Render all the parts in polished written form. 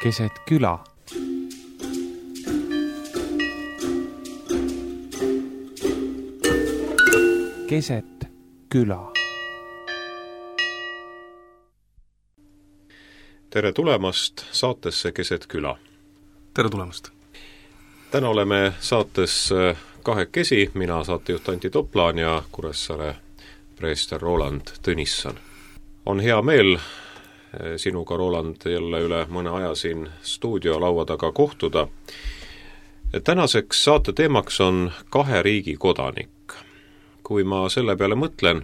keset küla. Keset küla. Tere tulemast saatesse Keset küla. Tere tulemast. Täna oleme saates kahekesi, mina saatejuht Anti Toplaan ja Kuressaare preester Roland Tõnisson. On hea meel sinuga, Roland, jälle üle mõne aja siin stuudiolaua taga kohtuda. Tänaseks saate teemaks on 2 riigi kodanik. Kui ma selle peale mõtlen,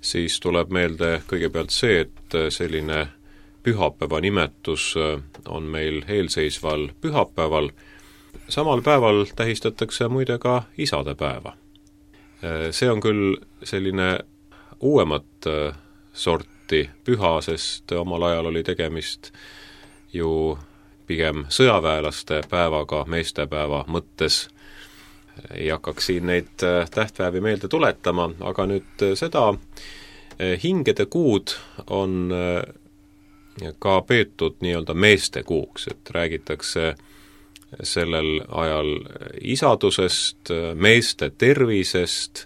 siis tuleb meelde kõigepealt see, et selline pühapäeva nimetus on meil eelseisval pühapäeval. Samal päeval tähistatakse muide ka isadepäeva. See on küll selline uuemat sorti püha, sest omal ajal oli tegemist ju pigem sõjaväelaste päevaga meestepäeva mõttes. Ei hakkaks siin neid tähtpäevi meelde tuletama, aga nüüd seda hingede kuud on ka peetud nii-öelda meeste kuuks, et räägitakse sellel ajal isadusest, meeste tervisest.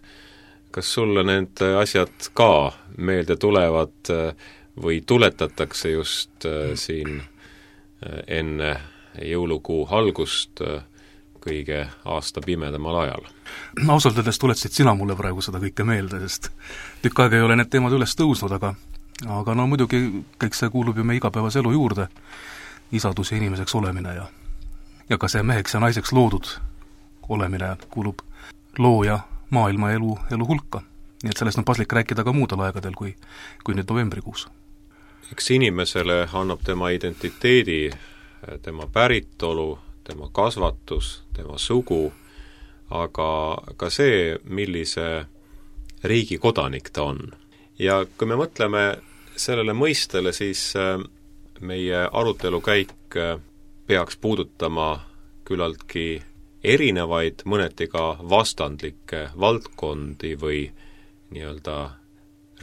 Kas sulle need asjad ka meelde tulevad või tuletatakse just siin enne jõulukuu algust kõige aasta pimedamal ajal? Ausalt öeldes tuletasid sina mulle praegu seda kõike meelde, sest tükk aega ei ole need teemad üles tõusnud, aga no muidugi kõik see kuulub ju meie igapäevase elu juurde, isadus ja inimeseks olemine ja ka see meheks ja naiseks loodud olemine kuulub looja maailma elu hulka. Nii et sellest on paslik rääkida ka muudel aegadel kui nüüd novembrikuus. Eks inimesele annab tema identiteedi, tema päritolu, tema kasvatus, tema sugu, aga ka see, millise riigi kodanik ta on. Ja kui me mõtleme sellele mõistele, siis meie arutelukäik peaks puudutama küllaltki erinevaid, mõneti ka vastandlikke valdkondi või nii-öelda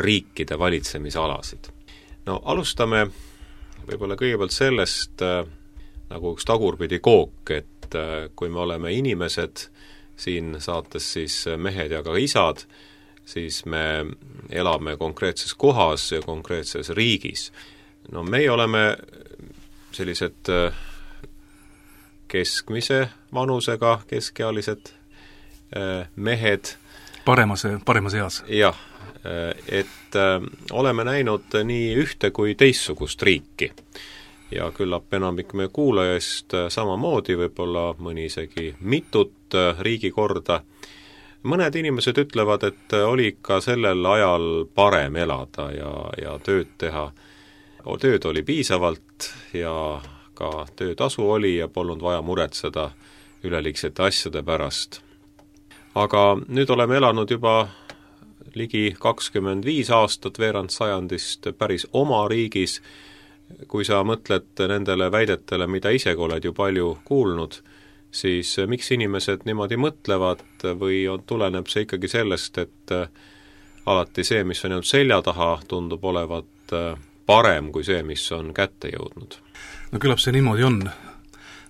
riikide valitsemisalasid. No alustame võib-olla kõigepealt sellest nagu üks tagurpidi kook, et kui me oleme inimesed siin saates, siis mehed ja ka isad, siis me elame konkreetses kohas ja konkreetses riigis. No meie oleme sellised keskmise vanusega keskealised mehed. Paremas eas. Jah, et oleme näinud nii ühte kui teissugust riiki. Ja küllap enamik meie kuulajast samamoodi, võib-olla mõni isegi mitut riigikorda. Mõned inimesed ütlevad, et oli ikka sellel ajal parem elada ja tööd teha. Tööd oli piisavalt ja ka töötasu oli ja polnud vaja muretseda üleliigsete asjade pärast. Aga nüüd oleme elanud juba ligi 25 aastat veerand sajandist päris oma riigis. Kui sa mõtled nendele väidetele, mida isegi oled ju palju kuulnud, siis miks inimesed niimoodi mõtlevad või tuleneb see ikkagi sellest, et alati see, mis on jäänud selja taha, tundub olevat parem kui see, mis on kätte jõudnud? No küllap see niimoodi on.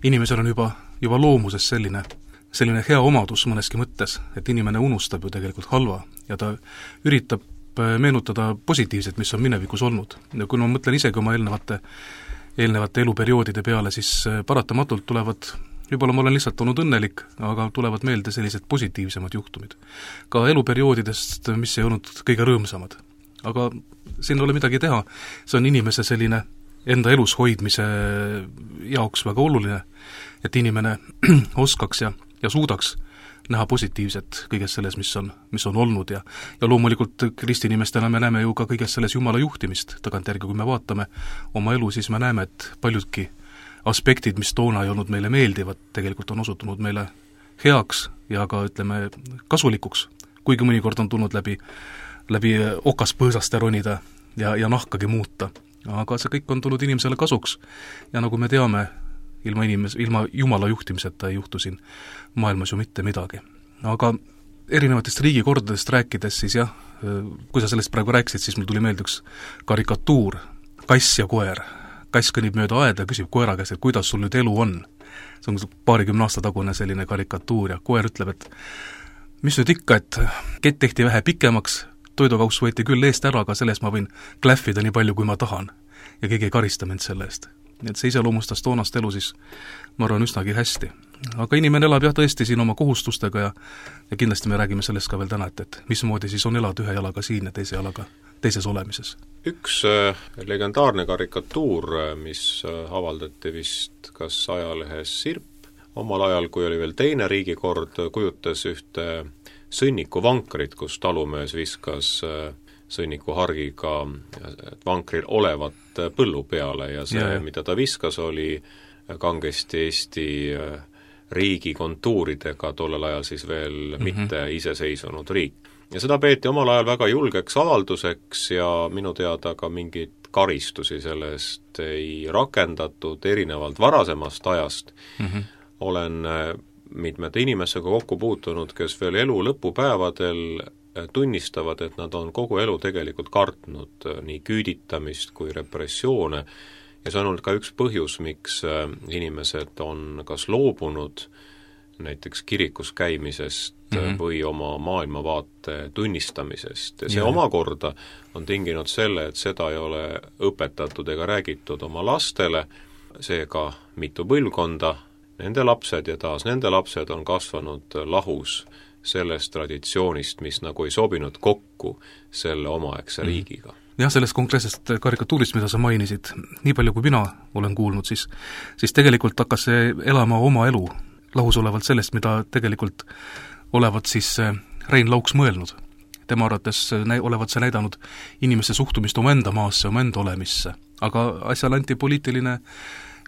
Inimesel on juba loomuses selline hea omadus mõneski mõttes, et inimene unustab ju tegelikult halva ja ta üritab meenutada positiivset, mis on minevikus olnud. Ja kui ma mõtlen isegi oma eelnevate eluperioodide peale, siis paratamatult tulevad, võib-olla ma olen lihtsalt olnud õnnelik, aga tulevad meelde sellised positiivsemad juhtumid. Ka eluperioodidest, mis ei olnud kõige rõõmsamad. Aga siin ei ole midagi teha, see on inimese selline enda elus hoidmise jaoks väga oluline, et inimene oskaks ja suudaks näha positiivset kõiges selles, mis on olnud ja loomulikult kristinimestena me näeme ju ka kõiges selles Jumala juhtimist tagantjärgi, kui me vaatame oma elu, siis me näeme, et paljudki aspektid, mis toona ei olnud meile meeldivad, tegelikult on osutunud meile heaks ja ka ütleme kasulikuks, kuigi mõnikord on tulnud läbi okaspõõsaste ronida ja nahkagi muuta. Aga see kõik on tulnud inimesele kasuks ja nagu me teame, ilma Jumala juhtimiseta ei juhtu siin maailmas ju mitte midagi. Aga erinevatest riigikordadest rääkides siis jah, kui sa sellest praegu rääkisid, siis mul tuli meelde üks karikatuur, kass ja koer. kass kõnnib mööda aeda ja küsib koera käest, et kuidas sul nüüd elu on. See on 20 aasta tagune selline karikatuur ja koer ütleb, et mis nüüd ikka, et kett tehti vähe pikemaks, toidukauss võeti küll eest ära, aga selles ma võin klähvida nii palju, kui ma tahan. Ja keegi ei karista mind selle eest. Nii et see iseloomustas toonast elu siis, ma arvan, üsnagi hästi. Aga inimene elab jah tõesti siin oma kohustustega ja kindlasti me räägime sellest ka veel täna, et mismoodi siis on elada ühe jalaga siin ja teise jalaga teises olemises. Üks legendaarne karikatuur, mis avaldati vist kas ajalehes Sirp, omal ajal, kui oli veel teine riigikord, kujutas ühte sõnnikuvankrit, kus talumees viskas sõnnikuhargiga vankril olevat põllu peale ja see, mida ta viskas, oli kangesti Eesti riigi kontuuridega, tollel ajal siis veel mitte iseseisvunud riik. Ja seda peeti omal ajal väga julgeks avalduseks ja minu teada ka mingit karistusi sellest ei rakendatud, erinevalt varasemast ajast. Olen mitmete inimesega kokku puutunud, kes veel elu lõpupäevadel tunnistavad, et nad on kogu elu tegelikult kartnud nii küüditamist kui repressioone ja see on olnud ka üks põhjus, miks inimesed on kas loobunud näiteks kirikus käimisest või oma maailmavaate tunnistamisest ja see omakorda on tinginud selle, et seda ei ole õpetatud ega räägitud oma lastele, seega mitu põlvkonda, nende lapsed ja taas nende lapsed on kasvanud lahus sellest traditsioonist, mis nagu ei sobinud kokku selle omaaegse riigiga. Jah, sellest konkreetsest karikatuurist, mida sa mainisid, nii palju kui mina olen kuulnud, siis tegelikult hakkas see elama oma elu lahus olevalt sellest, mida tegelikult olevat siis Rein Lauks mõelnud. Tema arvates olevat see näidanud inimeste suhtumist omaenda maasse, omaenda olemisse. Aga asjal anti poliitiline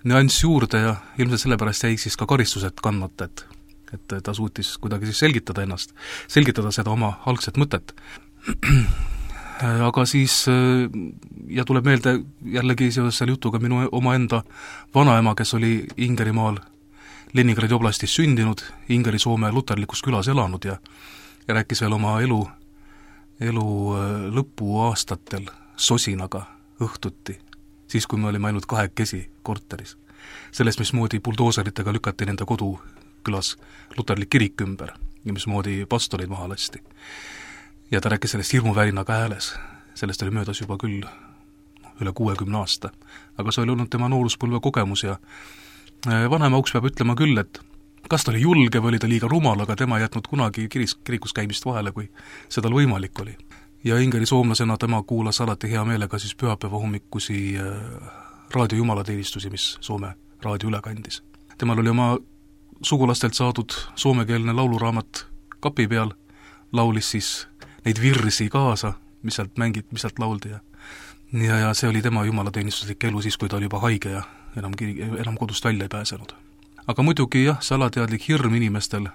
nüanss juurde ja ilmselt sellepärast jäi siis ka karistused kandmata, et ta suutis kuidagi siis selgitada ennast, selgitada seda oma algset mõtet. Aga siis, ja tuleb meelde jällegi seoses selle jutuga minu omaenda vanaema, kes oli Ingerimaal Leningradi oblastis sündinud, Ingeri-Soome luterlikus külas elanud ja rääkis veel oma elu lõpuaastatel sosinaga õhtuti, siis kui me olime ainult 2 korteris. Sellest, mismoodi buldooseritega lükati nende kodukülas luterlik kirik ümber ja mismoodi pastoreid maha lasti. Ja ta rääkis sellest hirmuvärinaga hääles, sellest oli möödas juba küll üle 60 aasta, aga see oli olnud tema nooruspõlve kogemus ja vanaema Auks peab ütlema küll, et kas ta oli julge või oli ta liiga rumal, aga tema ei jätnud kunagi kirikus käimist vahele, kui seda võimalik oli. Ja Ingeri soomlasena tema kuulas alati hea meelega siis pühapäeva hommikusi raadio jumalateenistusi, mis Soome raadio üle kandis. Temal oli oma sugulastelt saadud soomekeelne lauluraamat kapi peal, laulis siis neid virsi kaasa, mis sealt lauldi ja see oli tema jumalateenistuslik elu siis, kui ta oli juba haige ja enam kodust välja ei pääsenud. Aga muidugi jah, see alateadlik hirm inimestel,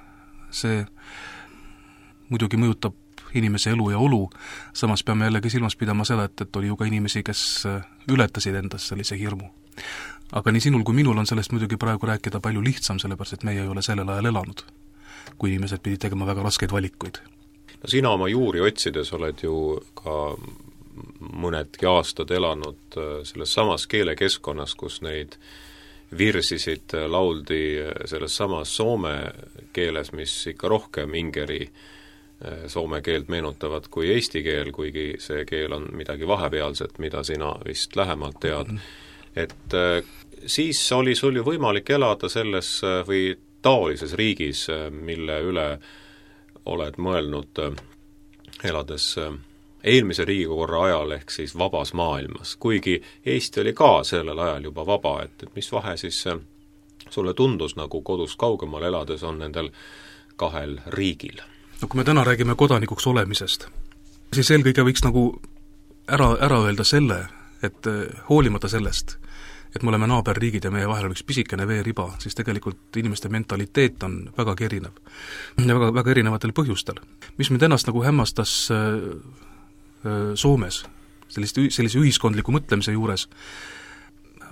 see muidugi mõjutab inimese elu ja olu, samas peame jällegi silmas pidama seda, et oli ju ka inimesi, kes ületasid endas sellise hirmu. Aga nii sinul kui minul on sellest muidugi praegu rääkida palju lihtsam, sellepärast et meie ei ole sellel ajal elanud, kui inimesed pidid tegema väga raskeid valikuid. No sina oma juuri otsides oled ju ka mõnedki aastad elanud selles samas keelekeskkonnas, kus neid virsisid lauldi selles samas soome keeles, mis ikka rohkem ingeri soome keelt meenutavad kui eesti keel, kuigi see keel on midagi vahepealset, mida sina vist lähemalt tead. Et siis oli sul ju võimalik elada selles või taolises riigis, mille üle oled mõelnud elades eelmise riigikorra ajal ehk siis vabas maailmas, kuigi Eesti oli ka sellel ajal juba vaba, et mis vahe siis sulle tundus nagu kodust kaugemal elades on nendel 2 riigil? No kui me täna räägime kodanikuks olemisest, siis eelkõige võiks nagu ära öelda selle, et hoolimata sellest, et me oleme naaberriigid ja meie vahel on üks pisikene veeriba, siis tegelikult inimeste mentaliteet on vägagi erinev ja väga erinevatel põhjustel. Mis mind ennast nagu hämmastas Soomes, sellise ühiskondliku mõtlemise juures,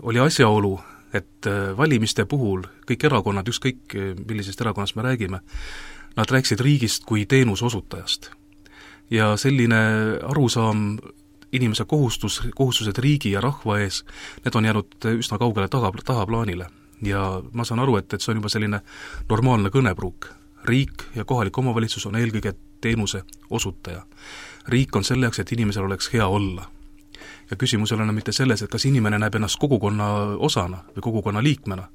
oli asjaolu, et valimiste puhul kõik erakonnad, ükskõik millisest erakonnast me räägime, nad rääkisid riigist kui teenusosutajast. Ja selline arusaam inimese kohustused riigi ja rahva ees, need on jäänud üsna kaugele tahaplaanile. Ja ma saan aru, et see on juba selline normaalne kõnepruuk. Riik ja kohalik omavalitsus on eelkõige teenuse osutaja. Riik on selleks, et inimesel oleks hea olla. Ja küsimus ei ole mitte selles, et kas inimene näeb ennast kogukonna osana või kogukonna liikmena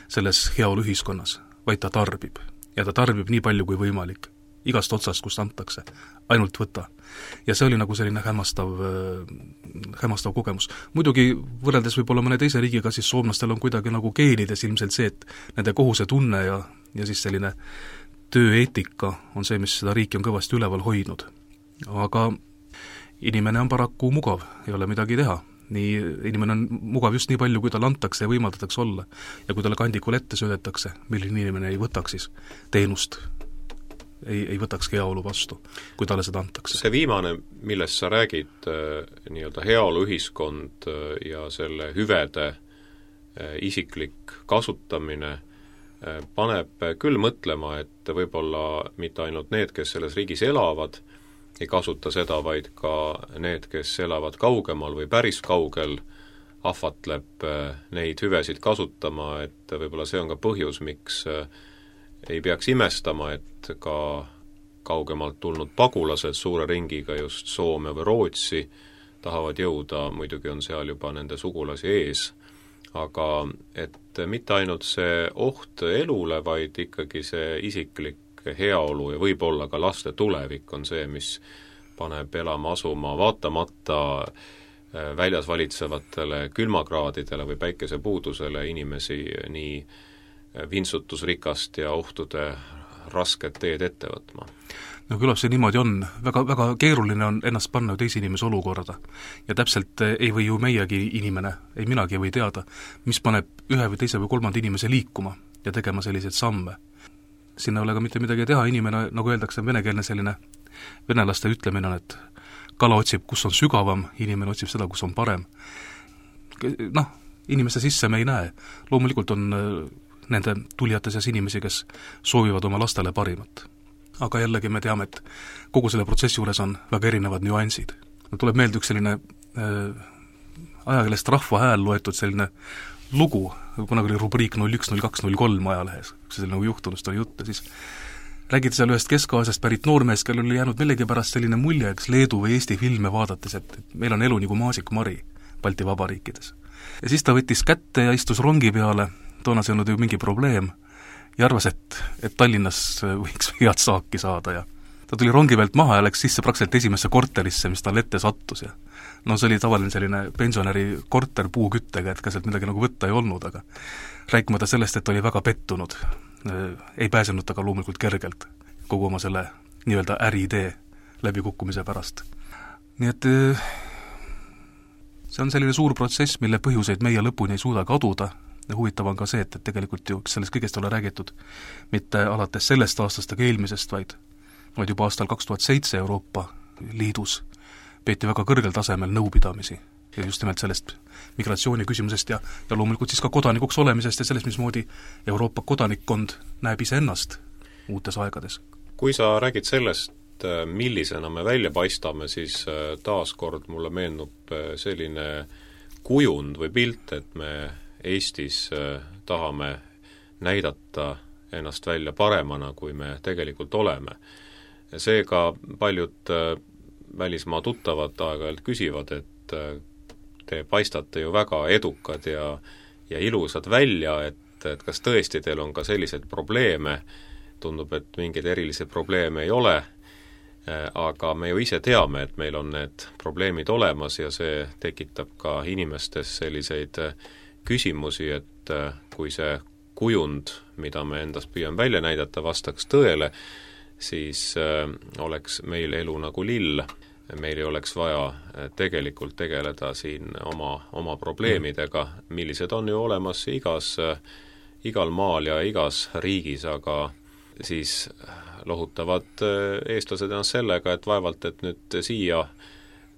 selles heaolu ühiskonnas, vaid ta tarbib. Ja ta tarbib nii palju kui võimalik. Igast otsast, kust antakse. Ainult võta. Ja see oli nagu selline hämmastav kogemus. Muidugi võrreldes võib-olla mõne teise riigiga, siis soomlastel on kuidagi nagu geenides ilmselt see, et nende kohuse tunne ja siis selline tööeetika on see, mis seda riiki on kõvasti üleval hoidnud. Aga inimene on paraku mugav, ei ole midagi teha. Inimene on mugav just nii palju, kui talle antakse ja võimaldatakse olla. Ja kui talle kandikul ette söödetakse, milline inimene ei võtaks siis teenust, ei võtaks heaolu vastu, kui talle seda antakse. See viimane, millest sa räägid, nii-öelda heaolu ühiskond ja selle hüvede isiklik kasutamine, paneb küll mõtlema, et võib-olla mitte ainult need, kes selles riigis elavad, ei kasuta seda, vaid ka need, kes elavad kaugemal või päris kaugel, ahvatleb neid hüvesid kasutama, et võib-olla see on ka põhjus, miks ei peaks imestama, et ka kaugemalt tulnud pagulased suure ringiga just Soome või Rootsi tahavad jõuda, muidugi on seal juba nende sugulasi ees, aga et mitte ainult see oht elule, vaid ikkagi see isiklik heaolu ja võib-olla ka laste tulevik on see, mis paneb elama asuma vaatamata väljas valitsevatele külmakraadidele või päikesepuudusele inimesi nii vintsutusrikast ja ohtude rasket teed ette võtma. No küllap see niimoodi on. Väga keeruline on ennast panna teise inimese olukorda. Ja täpselt ei või ju meiegi inimene, ei minagi või teada, mis paneb ühe või teise või kolmanda inimese liikuma ja tegema selliseid samme. Sinna ei ole ka mitte midagi teha, inimene, nagu öeldakse, venekeelne selline venelaste ütlemine on, et kala otsib, kus on sügavam, inimene otsib seda, kus on parem. Inimeste sisse me ei näe. Loomulikult on nende tulijate seas inimesi, kes soovivad oma lastele parimat. Aga jällegi me teame, et kogu selle protsessi juures on väga erinevad nüansid. Tuleb meelde üks selline ajakeelest Rahva Hääl loetud selline lugu, kunagi oli rubriik 010203 ajalehes, kui see nagu juhtunust oli jutt, siis räägiti seal ühest Kesk-Aasiast pärit noormees, kellel oli jäänud millegipärast selline mulje, eks Leedu või Eesti filme vaadates, et meil on elu nagu maasikmari Balti vabariikides. Ja siis ta võttis kätte ja istus rongi peale, toona see olnud ju mingi probleem, ja arvas, et Tallinnas võiks head saaki saada ja ta tuli rongi pealt maha ja läks sisse praktiliselt esimesse korterisse, mis tal ette sattus ja see oli tavaline selline pensionäri korter puuküttega, et ka sealt midagi nagu võtta ei olnud, aga rääkimata sellest, et oli väga pettunud, ei pääsenud ta ka loomulikult kergelt kogu oma selle nii-öelda äriidee läbikukkumise pärast. Nii et see on selline suur protsess, mille põhjuseid meie lõpuni ei suuda kaduda. Ja huvitav on ka see, et tegelikult ju sellest kõigest ole räägitud mitte alates sellest aastast ega eelmisest, vaid juba aastal 2007 Euroopa Liidus peeti väga kõrgel tasemel nõupidamisi ja just nimelt sellest migratsiooni küsimusest ja loomulikult siis ka kodanikuks olemisest ja sellest, mismoodi Euroopa kodanikkond näeb iseennast uutes aegades. Kui sa räägid sellest, millisena me välja paistame, siis taaskord mulle meenub selline kujund või pilt, et me Eestis tahame näidata ennast välja paremana, kui me tegelikult oleme. Seega paljud välismaa tuttavad aeg-ajalt küsivad, et te paistate ju väga edukad ja ilusad välja, et kas tõesti teil on ka selliseid probleeme, tundub, et mingeid erilisi probleeme ei ole, aga me ju ise teame, et meil on need probleemid olemas ja see tekitab ka inimestes selliseid küsimusi, et kui see kujund, mida me endast püüame välja näidata, vastaks tõele, siis oleks meil elu nagu lill. Meil ei oleks vaja tegelikult tegeleda siin oma probleemidega, millised on ju olemas igal maal ja igas riigis, aga siis lohutavad eestlased ennast sellega, et vaevalt, et nüüd siia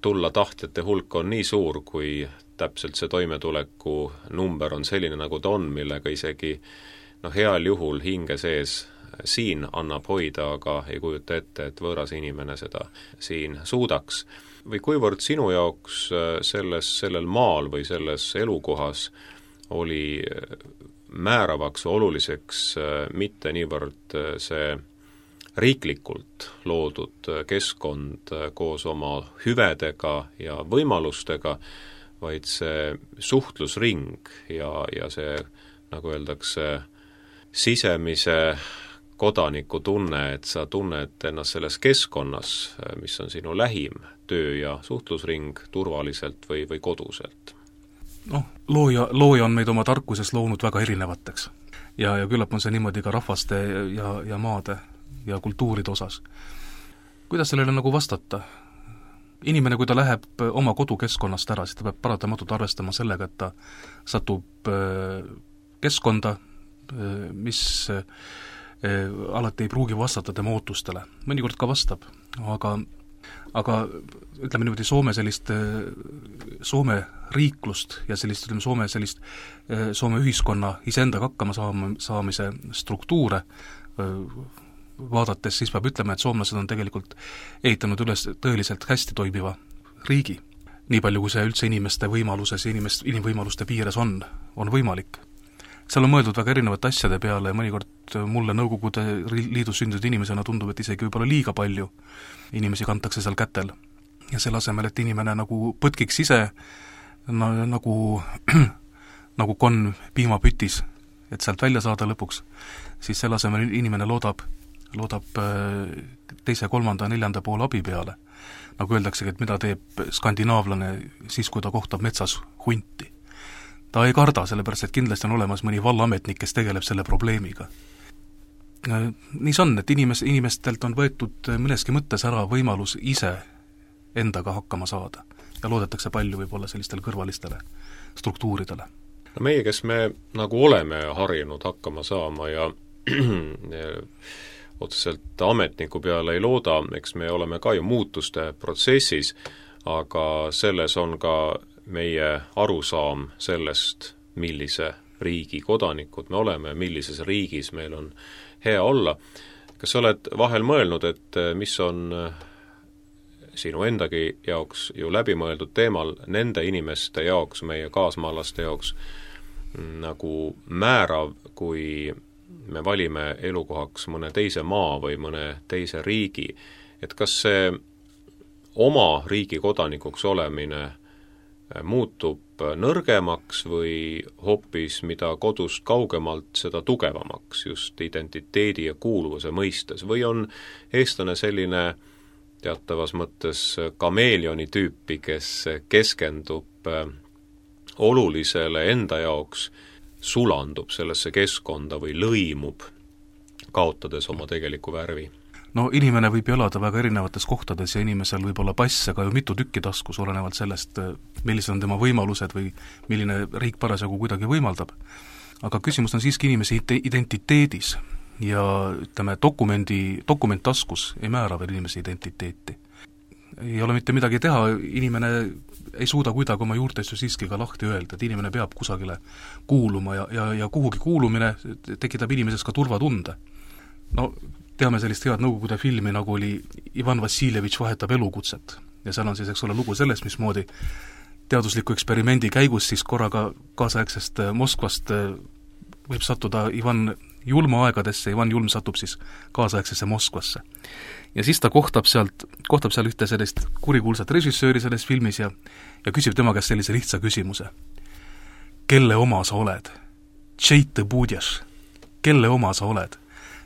tulla tahtjate hulk on nii suur, kui täpselt see toimetuleku number on selline, nagu ta on, millega isegi heal juhul hinge sees siin annab hoida, aga ei kujuta ette, et võõras inimene seda siin suudaks. või kuivõrd sinu jaoks sellel maal või selles elukohas oli määravaks oluliseks mitte niivõrd see riiklikult loodud keskkond koos oma hüvedega ja võimalustega, vaid see suhtlusring ja see, nagu öeldakse, sisemise kodaniku tunne, et sa tunned ennast selles keskkonnas, mis on sinu lähim töö- ja suhtlusring turvaliselt või koduselt? Looja on meid oma tarkuses loonud väga erinevateks. Ja küllap on see niimoodi ka rahvaste ja maade ja kultuuride osas. Kuidas sellele nagu vastata? Inimene, kui ta läheb oma kodukeskkonnast ära, siis ta peab paratamatult arvestama sellega, et ta satub keskkonda, mis alati ei pruugi vastata tema ootustele. Mõnikord ka vastab, aga ütleme niimoodi, Soome riiklust ja Soome ühiskonna iseendaga hakkama saamise struktuure vaadates, siis peab ütlema, et soomlased on tegelikult ehitanud üles tõeliselt hästi toimiva riigi. Nii palju, kui see üldse inimeste võimaluses ja inimvõimaluste piires on võimalik. Seal on mõeldud väga erinevate asjade peale ja mõnikord mulle Nõukogude Liidus sündinud inimesena tundub, et isegi võib-olla liiga palju inimesi kantakse seal kätel. Ja selle asemel, et inimene nagu põtkiks ise nagu konn piimapütis, et sealt välja saada lõpuks, siis selle asemel inimene loodab teise, kolmanda, neljanda poole abi peale. Nagu öeldaksegi, et mida teeb skandinaavlane siis, kui ta kohtab metsas hunti. Ta ei karda, sellepärast, et kindlasti on olemas mõni vallaametnik, kes tegeleb selle probleemiga. Nii see on, et inimestelt on võetud mõneski mõttes ära võimalus ise endaga hakkama saada ja loodetakse palju võib-olla sellistele kõrvalistele struktuuridele. No meie, kes me nagu oleme harjunud hakkama saama ja otseselt ametniku peale ei looda, eks me oleme ka ju muutuste protsessis, aga selles on ka meie arusaam sellest, millise riigi kodanikud me oleme, millises riigis meil on hea olla. Kas sa oled vahel mõelnud, et mis on sinu endagi jaoks ju läbimõeldud teemal nende inimeste jaoks, meie kaasmaalaste jaoks nagu määrav, kui me valime elukohaks mõne teise maa või mõne teise riigi, et kas see oma riigi kodanikuks olemine muutub nõrgemaks või hoopis mida kodust kaugemalt, seda tugevamaks just identiteedi ja kuuluvuse mõistes, või on eestlane selline teatavas mõttes kameeleoni tüüpi, kes keskendub olulisele enda jaoks, sulandub sellesse keskkonda või lõimub, kaotades oma tegeliku värvi? No inimene võib elada väga erinevates kohtades ja inimesel võib olla passe ka ju mitu tükki taskus, olenevalt sellest, millised on tema võimalused või milline riik parasjagu kuidagi võimaldab. Aga küsimus on siiski inimese identiteedis ja ütleme, dokument taskus ei määra veel inimese identiteeti. Ei ole mitte midagi teha, inimene ei suuda kuidagi oma juurtest ju siiski ka lahti öelda, et inimene peab kusagile kuuluma ja kuhugi kuulumine tekitab inimeses ka turvatunde. No teame sellist head Nõukogude filmi, nagu oli Ivan Vassiljevitš vahetab elukutset ja seal on siis, eks ole, lugu sellest, mismoodi teadusliku eksperimendi käigus siis korraga kaasaegsest Moskvast võib sattuda Ivan Julma aegadesse, Ivan Julm satub siis kaasaegsesse Moskvasse. Ja siis ta kohtab seal ühte sellist kurikuulsat režissööri selles filmis ja küsib tema käest sellise lihtsa küsimuse. Kelle oma sa oled? Tšeit budješ? Kelle oma sa oled?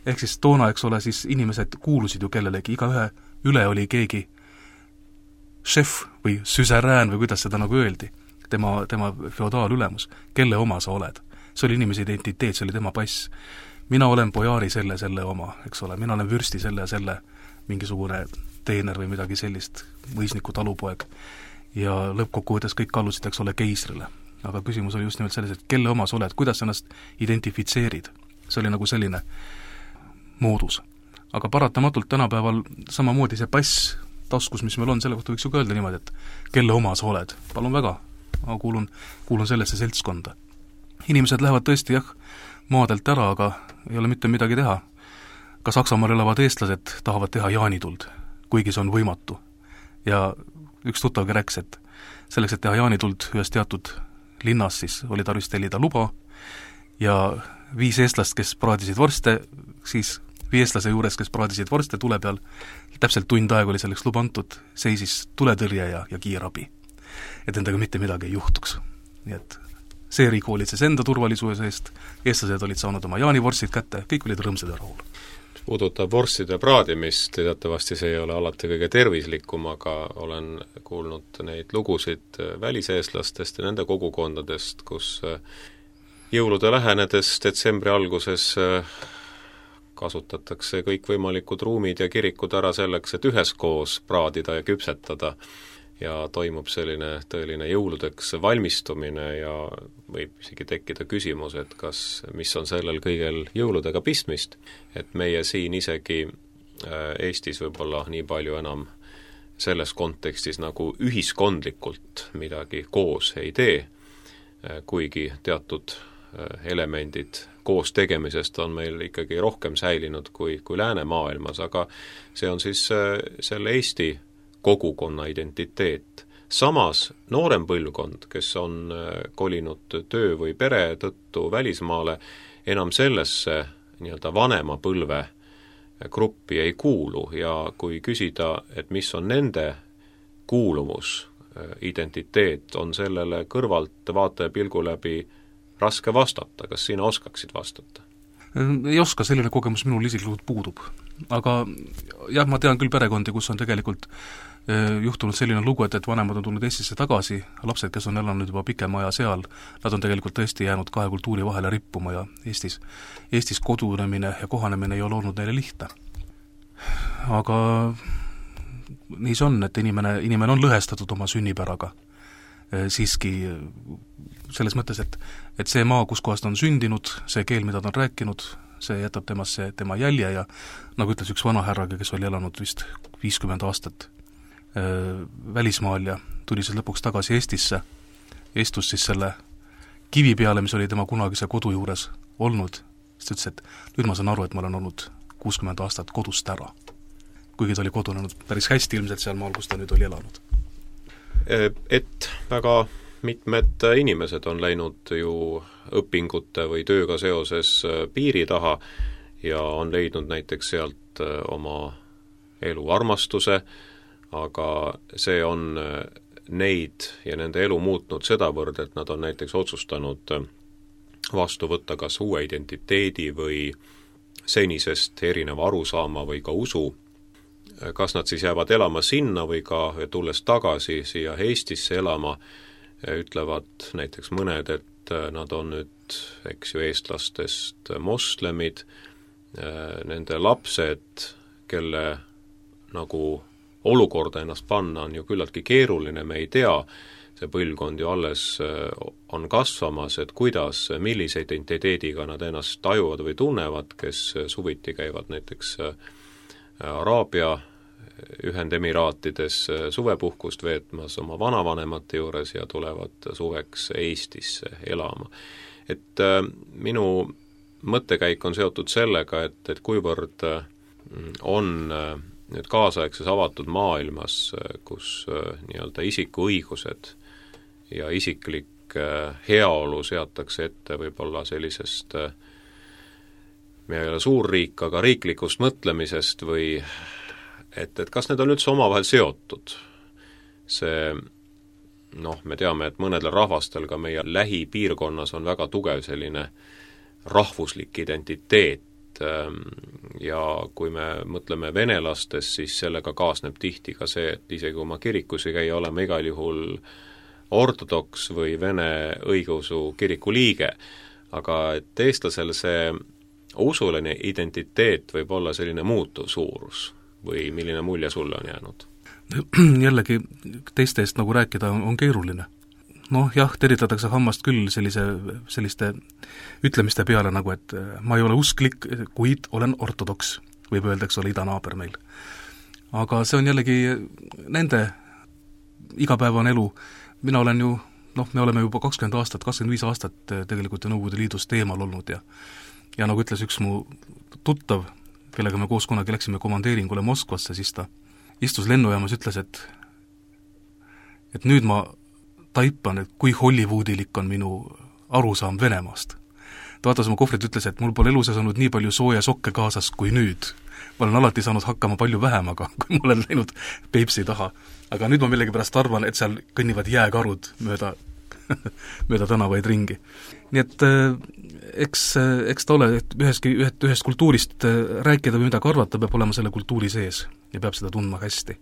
Ehk siis toona, eks ole, siis inimesed kuulusid ju kellelegi, igaühe üle oli keegi šef või süserään või kuidas seda nagu öeldi, tema feodaalülemus, kelle oma sa oled. See oli inimese identiteet, see oli tema pass. Mina olen pojaari selle oma, eks ole, mina olen vürsti selle mingisugune teener või midagi sellist, mõisniku talupoeg. Ja lõppkokkuvõttes kõik kallusid, eks ole, keisrile. Aga küsimus oli just nimelt selles, et kelle oma sa oled, kuidas ennast identifitseerid. See oli nagu selline moodus. Aga paratamatult tänapäeval samamoodi see pass taskus, mis meil on, selle kohta võiks ju ka öelda niimoodi, et kelle oma sa oled. Palun väga, ma kuulun sellesse seltskonda. Inimesed lähevad tõesti maadelt ära, aga ei ole mitte midagi teha. Ka Saksamaal elavad eestlased tahavad teha jaanituld, kuigi see on võimatu. Ja üks tuttavgi rääkis, et selleks, et teha jaanituld ühes teatud linnas, siis oli tarvis tellida luba ja 5 eestlast, kes praadisid vorste, siis 5 eestlase juures, kes praadisid vorste tule peal, täpselt tund aega oli selleks luba antud, seisis tuletõrje ja kiirabi. Et endaga mitte midagi ei juhtuks. Nii et see riik hoolitses enda turvalisuse eest, eestlased olid saanud oma jaanivorstid kätte, kõik olid rõõmsad ja rahul. Puudutab vorstide praadimist, teatavasti see ei ole alati kõige tervislikum, aga olen kuulnud neid lugusid väliseestlastest ja nende kogukondadest, kus jõulude lähenedes detsembri alguses kasutatakse kõikvõimalikud ruumid ja kirikud ära selleks, et üheskoos praadida ja küpsetada ja toimub selline tõeline jõuludeks valmistumine ja võib isegi tekkida küsimus, et mis on sellel kõigel jõuludega pistmist, et meie siin isegi Eestis võib-olla nii palju enam selles kontekstis nagu ühiskondlikult midagi koos ei tee, kuigi teatud elemendid koos tegemisest on meil ikkagi rohkem säilinud kui läänemaailmas, aga see on siis selle Eesti kogukonna identiteet. Samas noorem põlvkond, kes on kolinud töö või pere tõttu välismaale, enam sellesse nii-öelda vanema põlve gruppi ei kuulu ja kui küsida, et mis on nende kuuluvus, identiteet, on sellele kõrvalt vaataja pilgu läbi raske vastata. Kas sina oskaksid vastata? Ei oska, selline kogemus minul isiklikult puudub. Aga jah, ma tean küll perekondi, kus on tegelikult juhtunud selline lugu, et vanemad on tulnud Eestisse tagasi, lapsed, kes on elanud juba pikema aja seal, nad on tegelikult tõesti jäänud 2 kultuuri vahele rippuma ja Eestis kodunemine ja kohanemine ei ole olnud neile lihtne. Aga nii see on, et inimene on lõhestatud oma sünnipäraga. Siiski selles mõttes, et see maa, kus kohast on sündinud, see keel, mida ta on rääkinud, see jätab temasse tema jälje ja nagu ütles üks vana härraga, kes oli elanud vist 50 aastat välismaal ja tuli siis lõpuks tagasi Eestisse, istus siis selle kivi peale, mis oli tema kunagise kodu juures olnud, siis ta ütles, et nüüd ma saan aru, et ma olen olnud 60 aastat kodust ära. Kuigi ta oli kodunenud päris hästi ilmselt seal maal, kus ta nüüd oli elanud. Et väga mitmed inimesed on läinud ju õpingute või tööga seoses piiri taha ja on leidnud näiteks sealt oma elu armastuse, aga see on neid ja nende elu muutnud sedavõrd, et nad on näiteks otsustanud vastu võtta kas uue identiteedi või senisest erineva arusaama või ka usu. Kas nad siis jäävad elama sinna või ka tulles tagasi siia Eestisse elama, ütlevad näiteks mõned, et nad on nüüd, eks ju, eestlastest moslemid, nende lapsed, kelle nagu olukorda ennast panna on ju küllaltki keeruline, me ei tea, see põlvkond ju alles on kasvamas, et kuidas, millise identiteediga nad ennast tajuvad või tunnevad, kes suviti käivad näiteks Araabia Ühendemiraatides suvepuhkust veetmas oma vanavanemate juures ja tulevad suveks Eestisse elama. Et minu mõttekäik on seotud sellega, et kuivõrd on nüüd kaasaegses avatud maailmas, kus nii-öelda isikuõigused ja isiklik heaolu seatakse ette võib-olla sellisest, me ei ole suur riik, aga riiklikust mõtlemisest või et kas need on üldse omavahel seotud. See, me teame, et mõnedel rahvastel ka meie lähipiirkonnas on väga tugev selline rahvuslik identiteet ja kui me mõtleme venelastest, siis sellega kaasneb tihti ka see, et isegi kui ma kirikus ei käi, olema igal juhul ortodoks või vene õigeusu kiriku liige, aga et eestlasel see usuline identiteet võib olla selline muutuv suurus või milline mulje sulle on jäänud? Jällegi teiste eest nagu rääkida on keeruline. Jah, teritatakse hammast küll selliste ütlemiste peale nagu, et ma ei ole usklik, kuid olen ortodoks, võib öelda, eks ole, idanaaber meil. Aga see on jällegi nende igapäevane elu. Mina olen ju, me oleme juba 20 aastat, 25 aastat tegelikult Nõukogude Liidust eemal olnud ja nagu ütles üks mu tuttav, kellega me koos kunagi läksime komandeeringule Moskvasse, siis ta istus lennujaamas, ütles, et et nüüd ma taipan, et kui hollywoodilik on minu arusaam Venemaast. Ta vaatas oma kohvrit, ütles, et mul pole elus olnud nii palju sooja sokke kaasas kui nüüd. Ma olen alati saanud hakkama palju vähem, aga kui ma olen läinud Peipsi taha. Aga nüüd ma millegipärast arvan, et seal kõnnivad jääkarud mööda tänavaid ringi. Nii et eks ta ole, et ühest kultuurist rääkida või midagi arvata, peab olema selle kultuuri sees ja peab seda tundma hästi.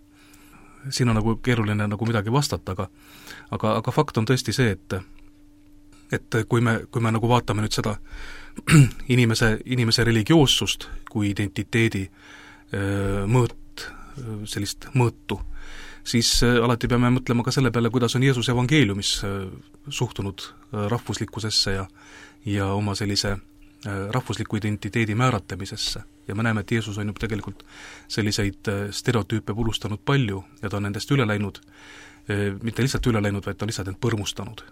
Siin on nagu keeruline nagu midagi vastata, aga fakt on tõesti see, et kui me nagu vaatame nüüd seda inimese religioossust kui identiteedi sellist mõõtu, siis alati peame mõtlema ka selle peale, kuidas on Jeesus evangeeliumis suhtunud rahvuslikkusesse ja oma sellise rahvusliku identiteedi määratlemisesse. Ja me näeme, et Jeesus on juba tegelikult selliseid stereotüüpe purustanud palju ja ta on nendest üle läinud, mitte lihtsalt üle läinud, vaid ta on lihtsalt end põrmustanud.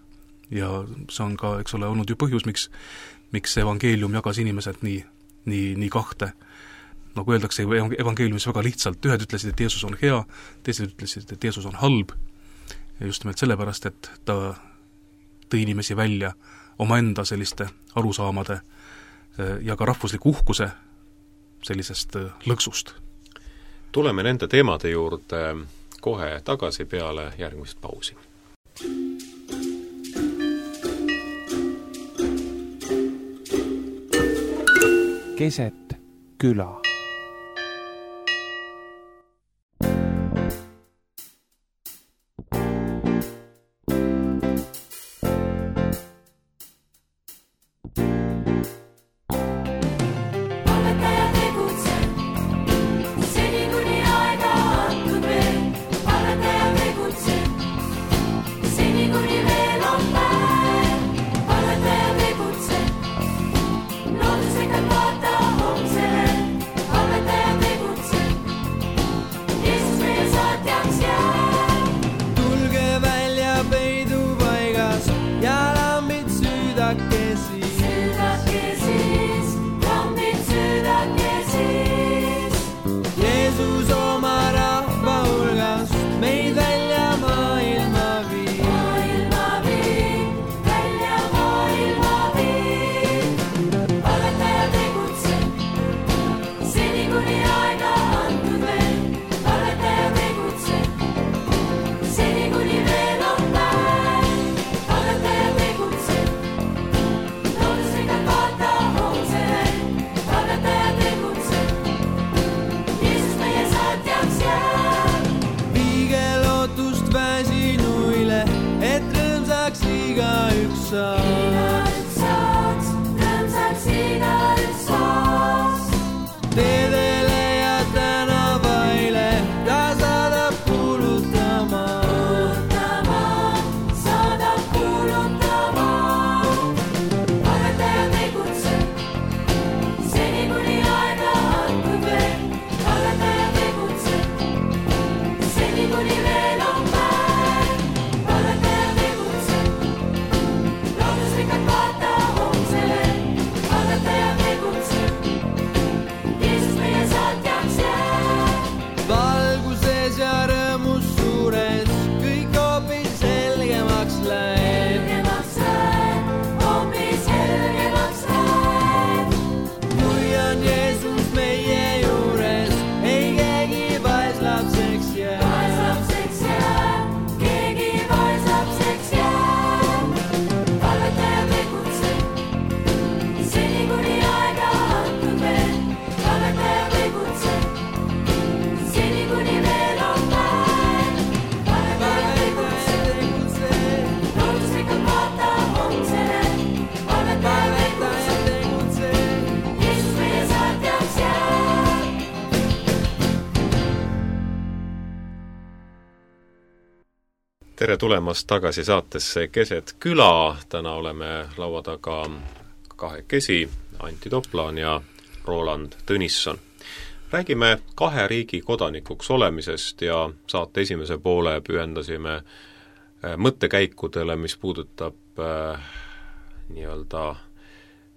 Ja see on ka, eks ole, olnud ju põhjus, miks evangeelium jagas inimesed nii kahte. Nagu öeldakse evangeeliumis väga lihtsalt, ühed ütlesid, et Jeesus on hea, teised ütlesid, et Jeesus on halb, ja just nimelt sellepärast, et ta tõi inimesi välja omaenda selliste arusaamade ja ka rahvusliku uhkuse sellisest lõksust. Tuleme nende teemade juurde kohe tagasi peale järgmist pausi. Keset kylä. Tere tulemast tagasi saatesse Keset kylä. Täna oleme laua taga kahekesi, Antti Toplaan ja Roland Tõnisson. Räägime kahe riigi kodanikuks olemisest ja saate esimese poole pühendasime mõttekäikudele, mis puudutab nii-öelda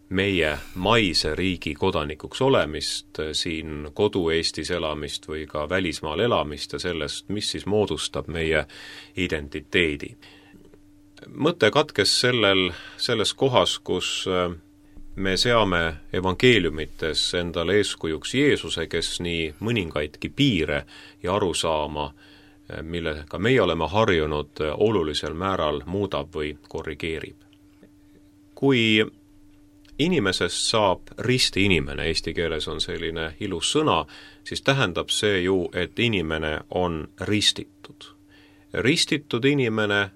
meie maise riigi kodanikuks olemist, siin kodu-Eestis elamist või ka välismaal elamist ja sellest, mis siis moodustab meie identiteedi. Mõte katkes selles kohas, kus me seame evangeeliumites endale eeskujuks Jeesuse, kes nii mõningaidki piire ja arusaama, millega meie oleme harjunud, olulisel määral muudab või korrigeerib. Kui inimesest saab risti inimene, eesti keeles on selline ilus sõna, siis tähendab see ju, et inimene on ristitud. Ristitud inimene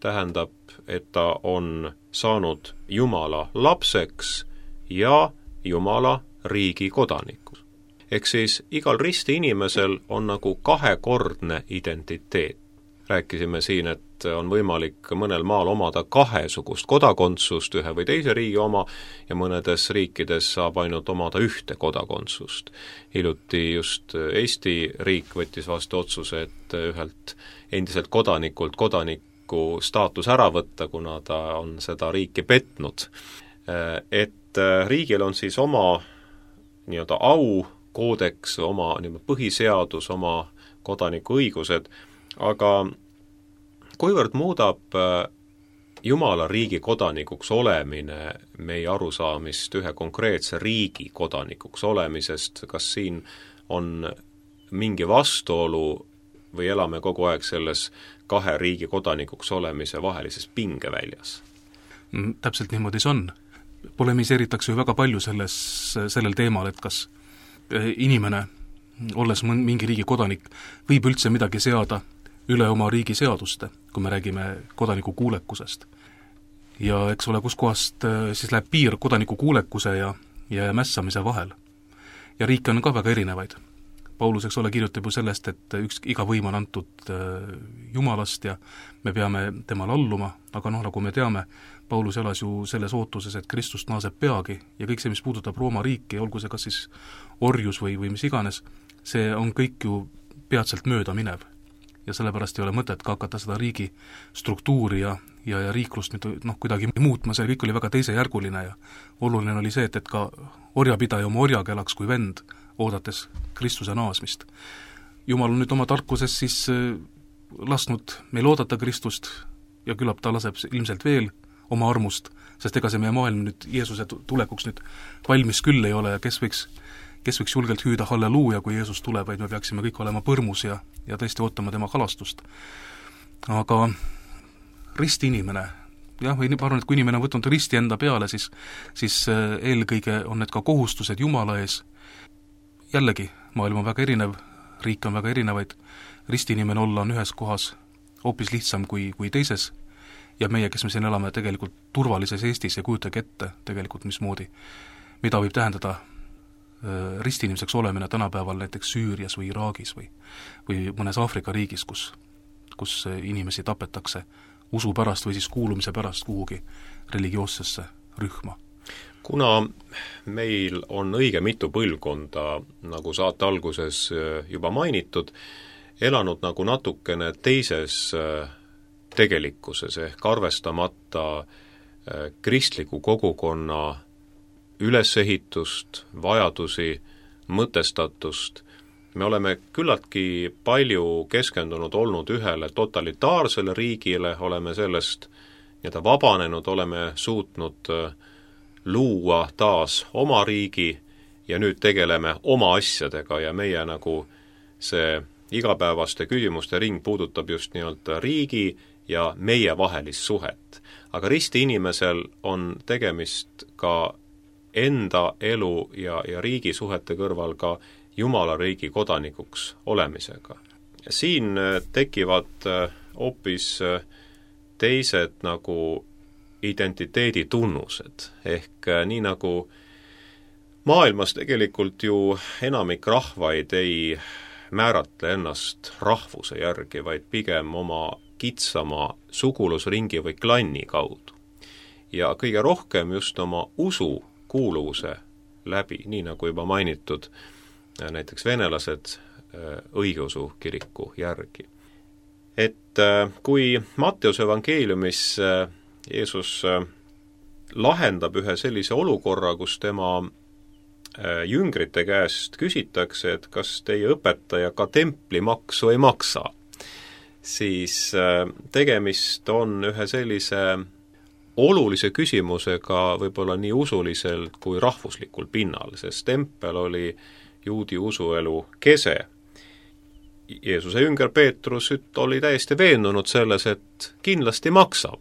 tähendab, et ta on saanud Jumala lapseks ja Jumala riigi kodanikus. Ehk siis igal risti inimesel on nagu kahekordne identiteet. Rääkisime siin, et on võimalik mõnel maal omada kahesugust kodakondsust, ühe või teise riigi oma, ja mõnedes riikides saab ainult omada ühte kodakondsust. Hiljuti just Eesti riik võttis vastu otsuse, et ühelt endiselt kodanikult kodaniku staatus ära võtta, kuna ta on seda riiki petnud. Et riigil on siis oma nii-öelda aukoodeks, oma põhiseadus, oma kodanikuõigused, aga kuivõrd muudab Jumala riigi kodanikuks olemine meie arusaamist ühe konkreetse riigi kodanikuks olemisest, kas siin on mingi vastuolu või elame kogu aeg selles kahe riigi kodanikuks olemise vahelises pingeväljas? Täpselt niimoodi see on. Polemiseeritakse ju väga palju sellel teemal, et kas inimene, olles mingi riigi kodanik, võib üldse midagi seada üle oma riigi seaduste, kui me räägime kodaniku kuulekusest. Ja eks ole, kus kohast siis läheb piir kodaniku kuulekuse ja mässamise vahel. Ja riike on ka väga erinevaid. Paulus, eks ole, kirjutab ju sellest, et iga võim on antud Jumalast ja me peame temal alluma, aga nagu me teame, Paulus elas ju selles ootuses, et Kristus naaseb peagi ja kõik see, mis puudutab Rooma riiki, olgu see kas siis orjus või mis iganes, see on kõik ju peatselt mööda minev. Ja sellepärast ei ole mõtet ka hakata seda riigi struktuuri ja riiklust kuidagi muutma, see kõik oli väga teisejärguline ja oluline oli see, et ka orjapidaja oma orjaga elaks kui vend, oodates Kristuse naasmist. Jumal on nüüd oma tarkuses siis lasknud meil oodata Kristust ja küllap ta laseb ilmselt veel oma armust, sest ega see meie maailm nüüd Jeesuse tulekuks nüüd valmis küll ei ole ja kes võiks julgelt hüüda halleluuja, kui Jeesus tuleb, vaid me peaksime kõik olema põrmus ja tõesti ootama tema kalastust. Aga risti inimene, jah, või ma arvan, et kui inimene on võtnud risti enda peale, siis eelkõige on need ka kohustused Jumala ees. Jällegi, maailm on väga erinev, riik on väga erinevaid, risti inimene olla on ühes kohas hoopis lihtsam kui teises ja meie, kes me siin elame tegelikult turvalises Eestis ja kujutage ette tegelikult mismoodi, mida võib tähendada ristinimeseks olemine tänapäeval näiteks Süürias või Iraagis või mõnes Aafrika riigis, kus inimesi tapetakse usu pärast või siis kuulumise pärast kuhugi religioossesse rühma. Kuna meil on õige mitu põlvkonda, nagu saate alguses juba mainitud, elanud nagu natukene teises tegelikkuses ehk arvestamata kristliku kogukonna ülesehitust, vajadusi, mõtestatust. Me oleme küllaltki palju keskendunud olnud ühele totalitaarsele riigile, oleme sellest nii-öelda vabanenud, oleme suutnud luua taas oma riigi ja nüüd tegeleme oma asjadega ja meie nagu see igapäevaste küsimuste ring puudutab just nii-öelda riigi ja meie vahelist suhet. Aga risti inimesel on tegemist ka enda elu ja riigi suhete kõrval ka Jumala riigi kodanikuks olemisega. Siin tekivad hoopis teised nagu identiteedi tunnused, ehk nii nagu maailmas tegelikult ju enamik rahvaid ei määratle ennast rahvuse järgi, vaid pigem oma kitsama sugulusringi või klanni kaudu. Ja kõige rohkem just oma usu kuuluvuse läbi, nii nagu juba mainitud, näiteks venelased õigeusu kiriku järgi. Et kui Matteuse evangeeliumis Jeesus lahendab ühe sellise olukorra, kus tema jüngrite käest küsitakse, et kas teie õpetaja ka templimaksu ei maksa, siis tegemist on ühe sellise olulise küsimusega võib-olla nii usuliselt kui rahvuslikul pinnal, sest tempel oli juudi usuelu kese. Jeesuse jünger Peetrus oli täiesti veendunud selles, et kindlasti maksab,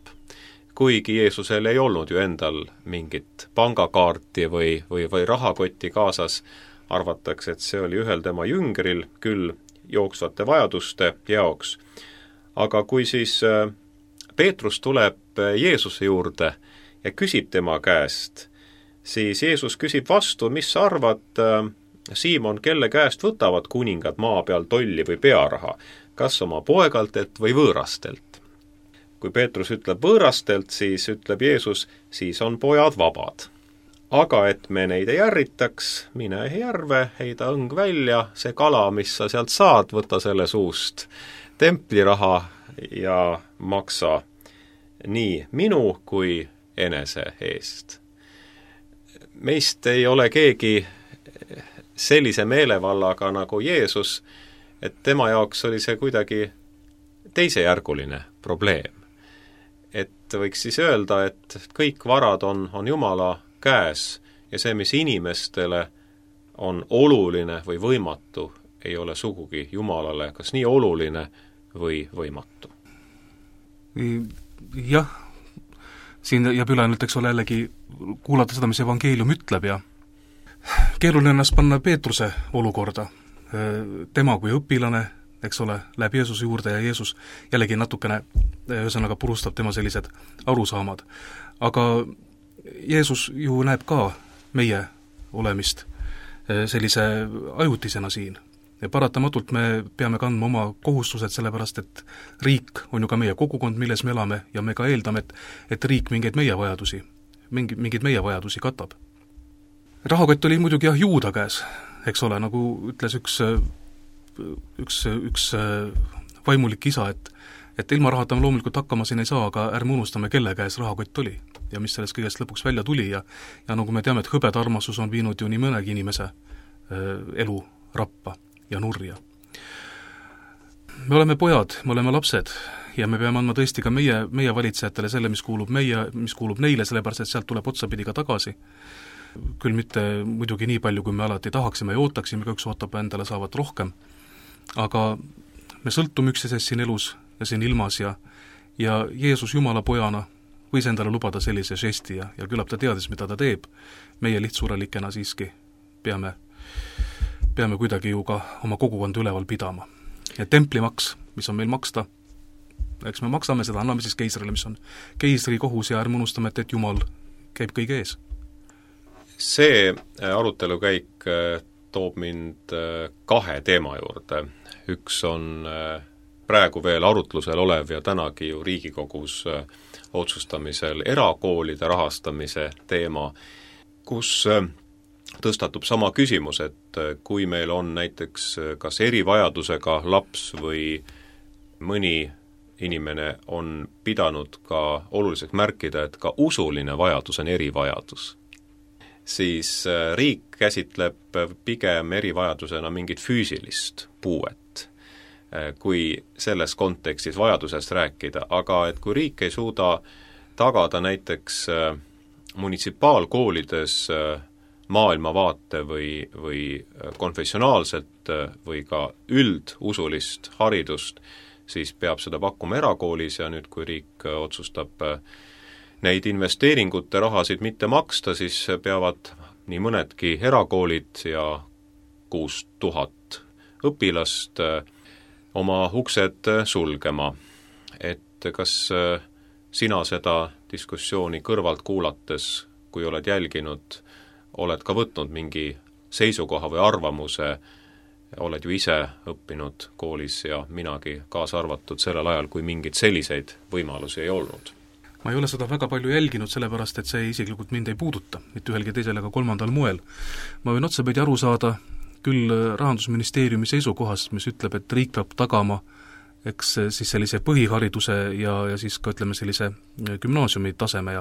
kuigi Jeesusel ei olnud ju endal mingit pangakaarti või rahakotti kaasas, arvatakse, et see oli ühel tema jüngril küll jooksvate vajaduste jaoks. Aga kui siis Peetrus tuleb Jeesuse juurde ja küsib tema käest, siis Jeesus küsib vastu, mis sa arvad, Siimon, kelle käest võtavad kuningad maa peal tolli või pearaha, kas oma poegaltelt või võõrastelt? Kui Peetrus ütleb võõrastelt, siis ütleb Jeesus, siis on pojad vabad. Aga et me neid ei ärritaks, mine järve, heida õng välja, see kala, mis sa sealt saad, võta selle suust templiraha ja maksa nii minu kui enese eest. Meist ei ole keegi sellise meelevallaga nagu Jeesus, et tema jaoks oli see kuidagi teisejärguline probleem. Et võiks siis öelda, et kõik varad on Jumala käes ja see, mis inimestele on oluline või võimatu, ei ole sugugi Jumalale kas nii oluline või võimatu. Jah, siin jääb üle nüüd, eks ole, jällegi kuulata seda, mis evangeelium ütleb ja keeruline ennast panna Peetruse olukorda. Tema kui õpilane, eks ole, läheb Jeesuse juurde ja Jeesus jällegi natukene ühesõnaga purustab tema sellised arusaamad. Aga Jeesus ju näeb ka meie olemist sellise ajutisena siin. Ja paratamatult me peame kandma oma kohustused, sellepärast et riik on ju ka meie kogukond, milles me elame ja me ka eeldame, et riik mingeid meie vajadusi katab. Rahakott oli muidugi jah Juuda käes, eks ole, nagu ütles üks vaimulik isa, et ilma rahata me loomulikult hakkama siin ei saa, aga ärme unustame, kelle käes rahakott oli ja mis sellest kõigest lõpuks välja tuli ja nagu me teame, et hõbedarmastus on viinud ju nii mõnegi inimese elu rappa ja nurja. Me oleme pojad, me oleme lapsed ja me peame andma tõesti ka meie valitsejatele selle, mis kuulub neile, sellepärast et sealt tuleb otsapidi ka tagasi. Küll mitte muidugi nii palju, kui me alati tahaksime ja ootaksime, üks ootab endale saavat rohkem, aga me sõltume üksteisest siin elus ja siin ilmas ja Jeesus Jumala pojana võis endale lubada sellise žesti ja küllap ta teadis, mida ta teeb. Meie lihtsurelikena siiski peame kuidagi ju ka oma kogukonda üleval pidama. Ja templimaks, mis on meil maksta, eks me maksame seda, anname siis keisrile, mis on keisri kohus ja ärme unustame, et Jumal käib kõige ees. See arutelukäik toob mind kahe teema juurde. Üks on praegu veel arutlusel olev ja tänagi ju Riigikogus otsustamisel erakoolide rahastamise teema, kus tõstatub sama küsimus, et kui meil on näiteks kas erivajadusega laps või mõni inimene on pidanud ka oluliseks märkida, et ka usuline vajadus on erivajadus, siis riik käsitleb pigem erivajadusena mingit füüsilist puuet, kui selles kontekstis vajadusest rääkida, aga et kui riik ei suuda tagada näiteks munitsipaalkoolides maailmavaate või konfessionaalset või ka üldusulist haridust, siis peab seda pakkuma erakoolis ja nüüd, kui riik otsustab neid investeeringute rahasid mitte maksta, siis peavad nii mõnedki erakoolid ja 6000 õpilast oma uksed sulgema. Et kas sina seda diskussiooni kõrvalt kuulates, kui oled jälginud, oled ka võtnud mingi seisukoha või arvamuse, oled ju ise õppinud koolis ja minagi kaasa arvatud sellel ajal, kui mingeid selliseid võimalusi ei olnud? Ma ei ole seda väga palju jälginud, sellepärast et see isiklikult mind ei puuduta, mitte ühelgi teisel ega kolmandal moel. Ma võin otsapidi aru saada küll Rahandusministeeriumi seisukohast, mis ütleb, et riik peab tagama eks siis sellise põhihariduse ja siis ka ütleme sellise gümnaasiumi taseme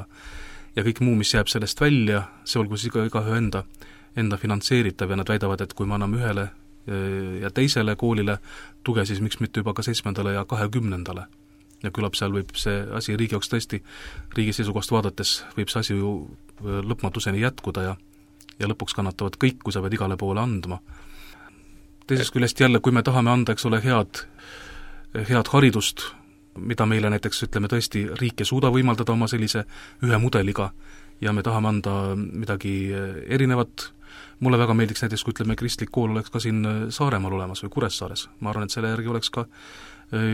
ja kõik muu, mis jääb sellest välja, see olgu siis igaühe enda finantseeritav ja nad väidavad, et kui me anname ühele ja teisele koolile tuge, siis miks mitte juba ka 7. ja 20. Ja küllap seal võib see asi riigi jaoks tõesti, riigi seisukohast vaadates võib see asi ju lõpmatuseni jätkuda ja lõpuks kannatavad kõik, kui sa pead igale poole andma. Teisest küljest jälle, kui me tahame anda, eks ole, head haridust, mida meile näiteks, ütleme tõesti, riik ei suuda võimaldada oma sellise ühe mudeliga ja me tahame anda midagi erinevat, mulle väga meeldiks näiteks, kui ütleme, kristlik kool oleks ka siin Saaremaal olemas või Kuressaares. Ma arvan, et selle järgi oleks ka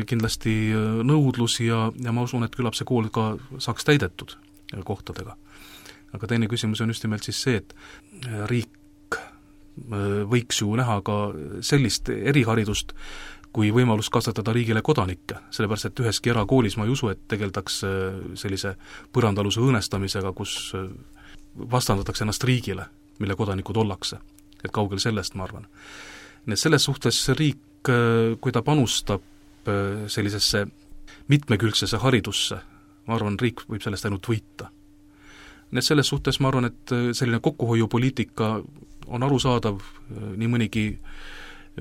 kindlasti nõudlus ja ma usun, et küllap see kool ka saaks täidetud kohtadega. Aga teine küsimus on just nimelt siis see, et riik võiks ju näha ka sellist eriharidust, kui võimalus kasvatada riigile kodanikke, sellepärast et üheski erakoolis ma ei usu, et tegeldaks sellise põrandaluse õõnestamisega, kus vastandatakse ennast riigile, mille kodanikud ollakse. Et kaugel sellest, ma arvan. Nii et selles suhtes riik, kui ta panustab sellisesse mitmekülgsesse haridusse, ma arvan, riik võib sellest ainult võita. Nii et selles suhtes ma arvan, et selline kokkuhoiupoliitika on arusaadav, nii mõnigi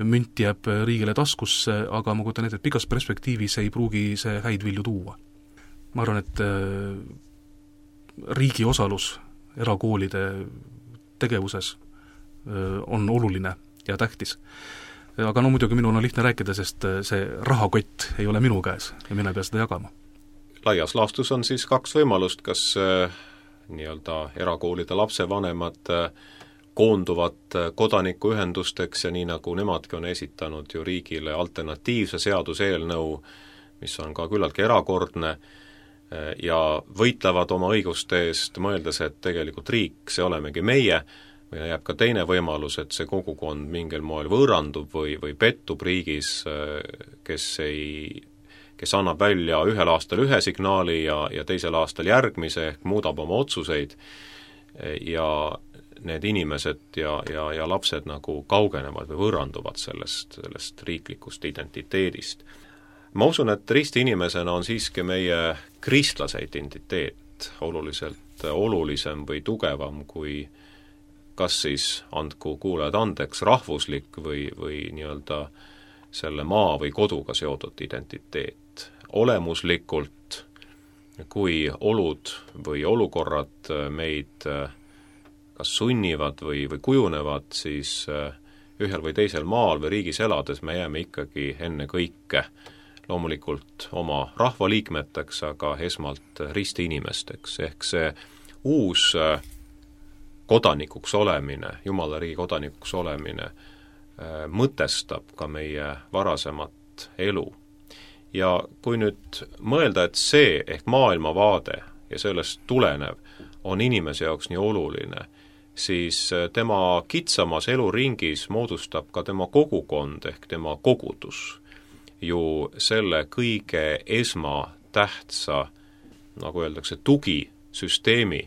münt jääb riigile taskusse, aga ma kujutan ette, et pikas perspektiivis ei pruugi see häid vilju tuua. Ma arvan, et riigi osalus erakoolide tegevuses on oluline ja tähtis. Aga no muidugi minul on lihtne rääkida, sest see rahakott ei ole minu käes ja mina ei pea seda jagama. Laias laastus on siis 2 võimalust, kas nii-öelda erakoolide lapsevanemad koonduvad kodanikuühendusteks ja nii nagu nemadki on esitanud ju riigile alternatiivse seaduseelnõu, mis on ka küllaltki erakordne, ja võitlevad oma õiguste eest, mõeldes, et tegelikult riik, see olemegi meie, või jääb ka teine võimalus, et see kogukond mingil moel võõrandub või pettub riigis, kes annab välja ühel aastal ühe signaali ja teisel aastal järgmise, ehk muudab oma otsuseid ja need inimesed ja lapsed nagu kaugenevad või võõranduvad sellest riiklikust identiteedist. Ma usun, et ristiinimesena on siiski meie kristlase identiteet oluliselt olulisem või tugevam kui kas siis, andku kuulajad andeks, rahvuslik või nii-öelda selle maa või koduga seotud identiteet. Olemuslikult, kui olud või olukorrad meid kas sunnivad või kujunevad, siis ühel või teisel maal või riigis elades me jääme ikkagi enne kõike loomulikult oma rahvaliikmeteks, aga esmalt ristiinimesteks, ehk see uus kodanikuks olemine, Jumala riigi kodanikuks olemine mõtestab ka meie varasemat elu. Ja kui nüüd mõelda, et see ehk maailmavaade ja sellest tulenev on inimese jaoks nii oluline, siis tema kitsamas eluringis moodustab ka tema kogukond ehk tema kogudus ju selle kõige esmatähtsa, nagu öeldakse, tugisüsteemi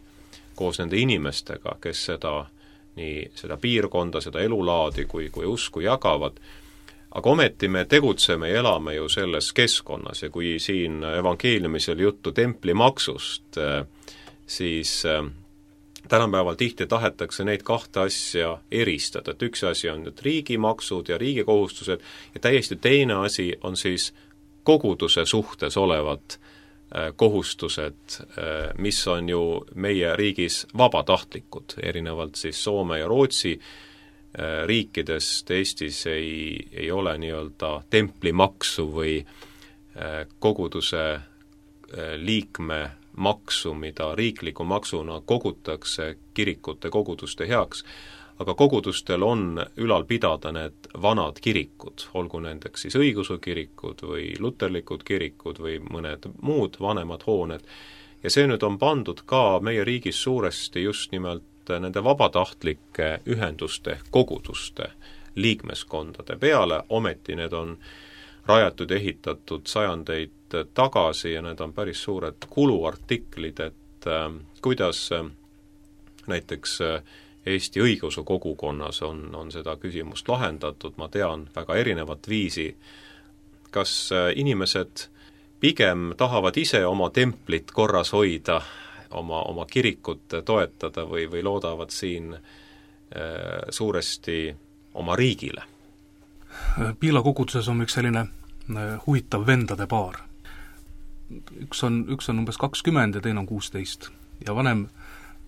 koos nende inimestega, kes seda piirkonda, seda elulaadi kui usku jagavad. Aga ometi me tegutseme ja elame ju selles keskkonnas ja kui siin evangeeliumis oli juttu templimaksust, siis tänapäeval tihti tahetakse neid 2 asja eristada, et üks asi on nüüd riigimaksud ja riigi kohustused ja täiesti teine asi on siis koguduse suhtes olevad kohustused, mis on ju meie riigis vabatahtlikud, erinevalt siis Soome ja Rootsi riikidest. Eestis ei ole nii-öelda templimaksu või koguduse liikme maksu, mida riikliku maksuna kogutakse kirikute koguduste heaks, aga kogudustel on ülal pidada need vanad kirikud, olgu nendeks siis õigeusu kirikud või luterlikud kirikud või mõned muud vanemad hooned. Ja see nüüd on pandud ka meie riigis suuresti just nimelt nende vabatahtlike ühenduste, koguduste, liikmeskondade peale, ometi need on rajatud ja ehitatud sajandeid tagasi ja need on päris suured kuluartiklid, et kuidas näiteks Eesti õigeusu kogukonnas on seda küsimust lahendatud, ma tean väga erinevat viisi. Kas inimesed pigem tahavad ise oma templit korras hoida, oma kirikut toetada või loodavad siin suuresti oma riigile? Piila koguduses on üks selline huvitav vendade paar. Üks on umbes 20 ja teine on 16. Ja vanem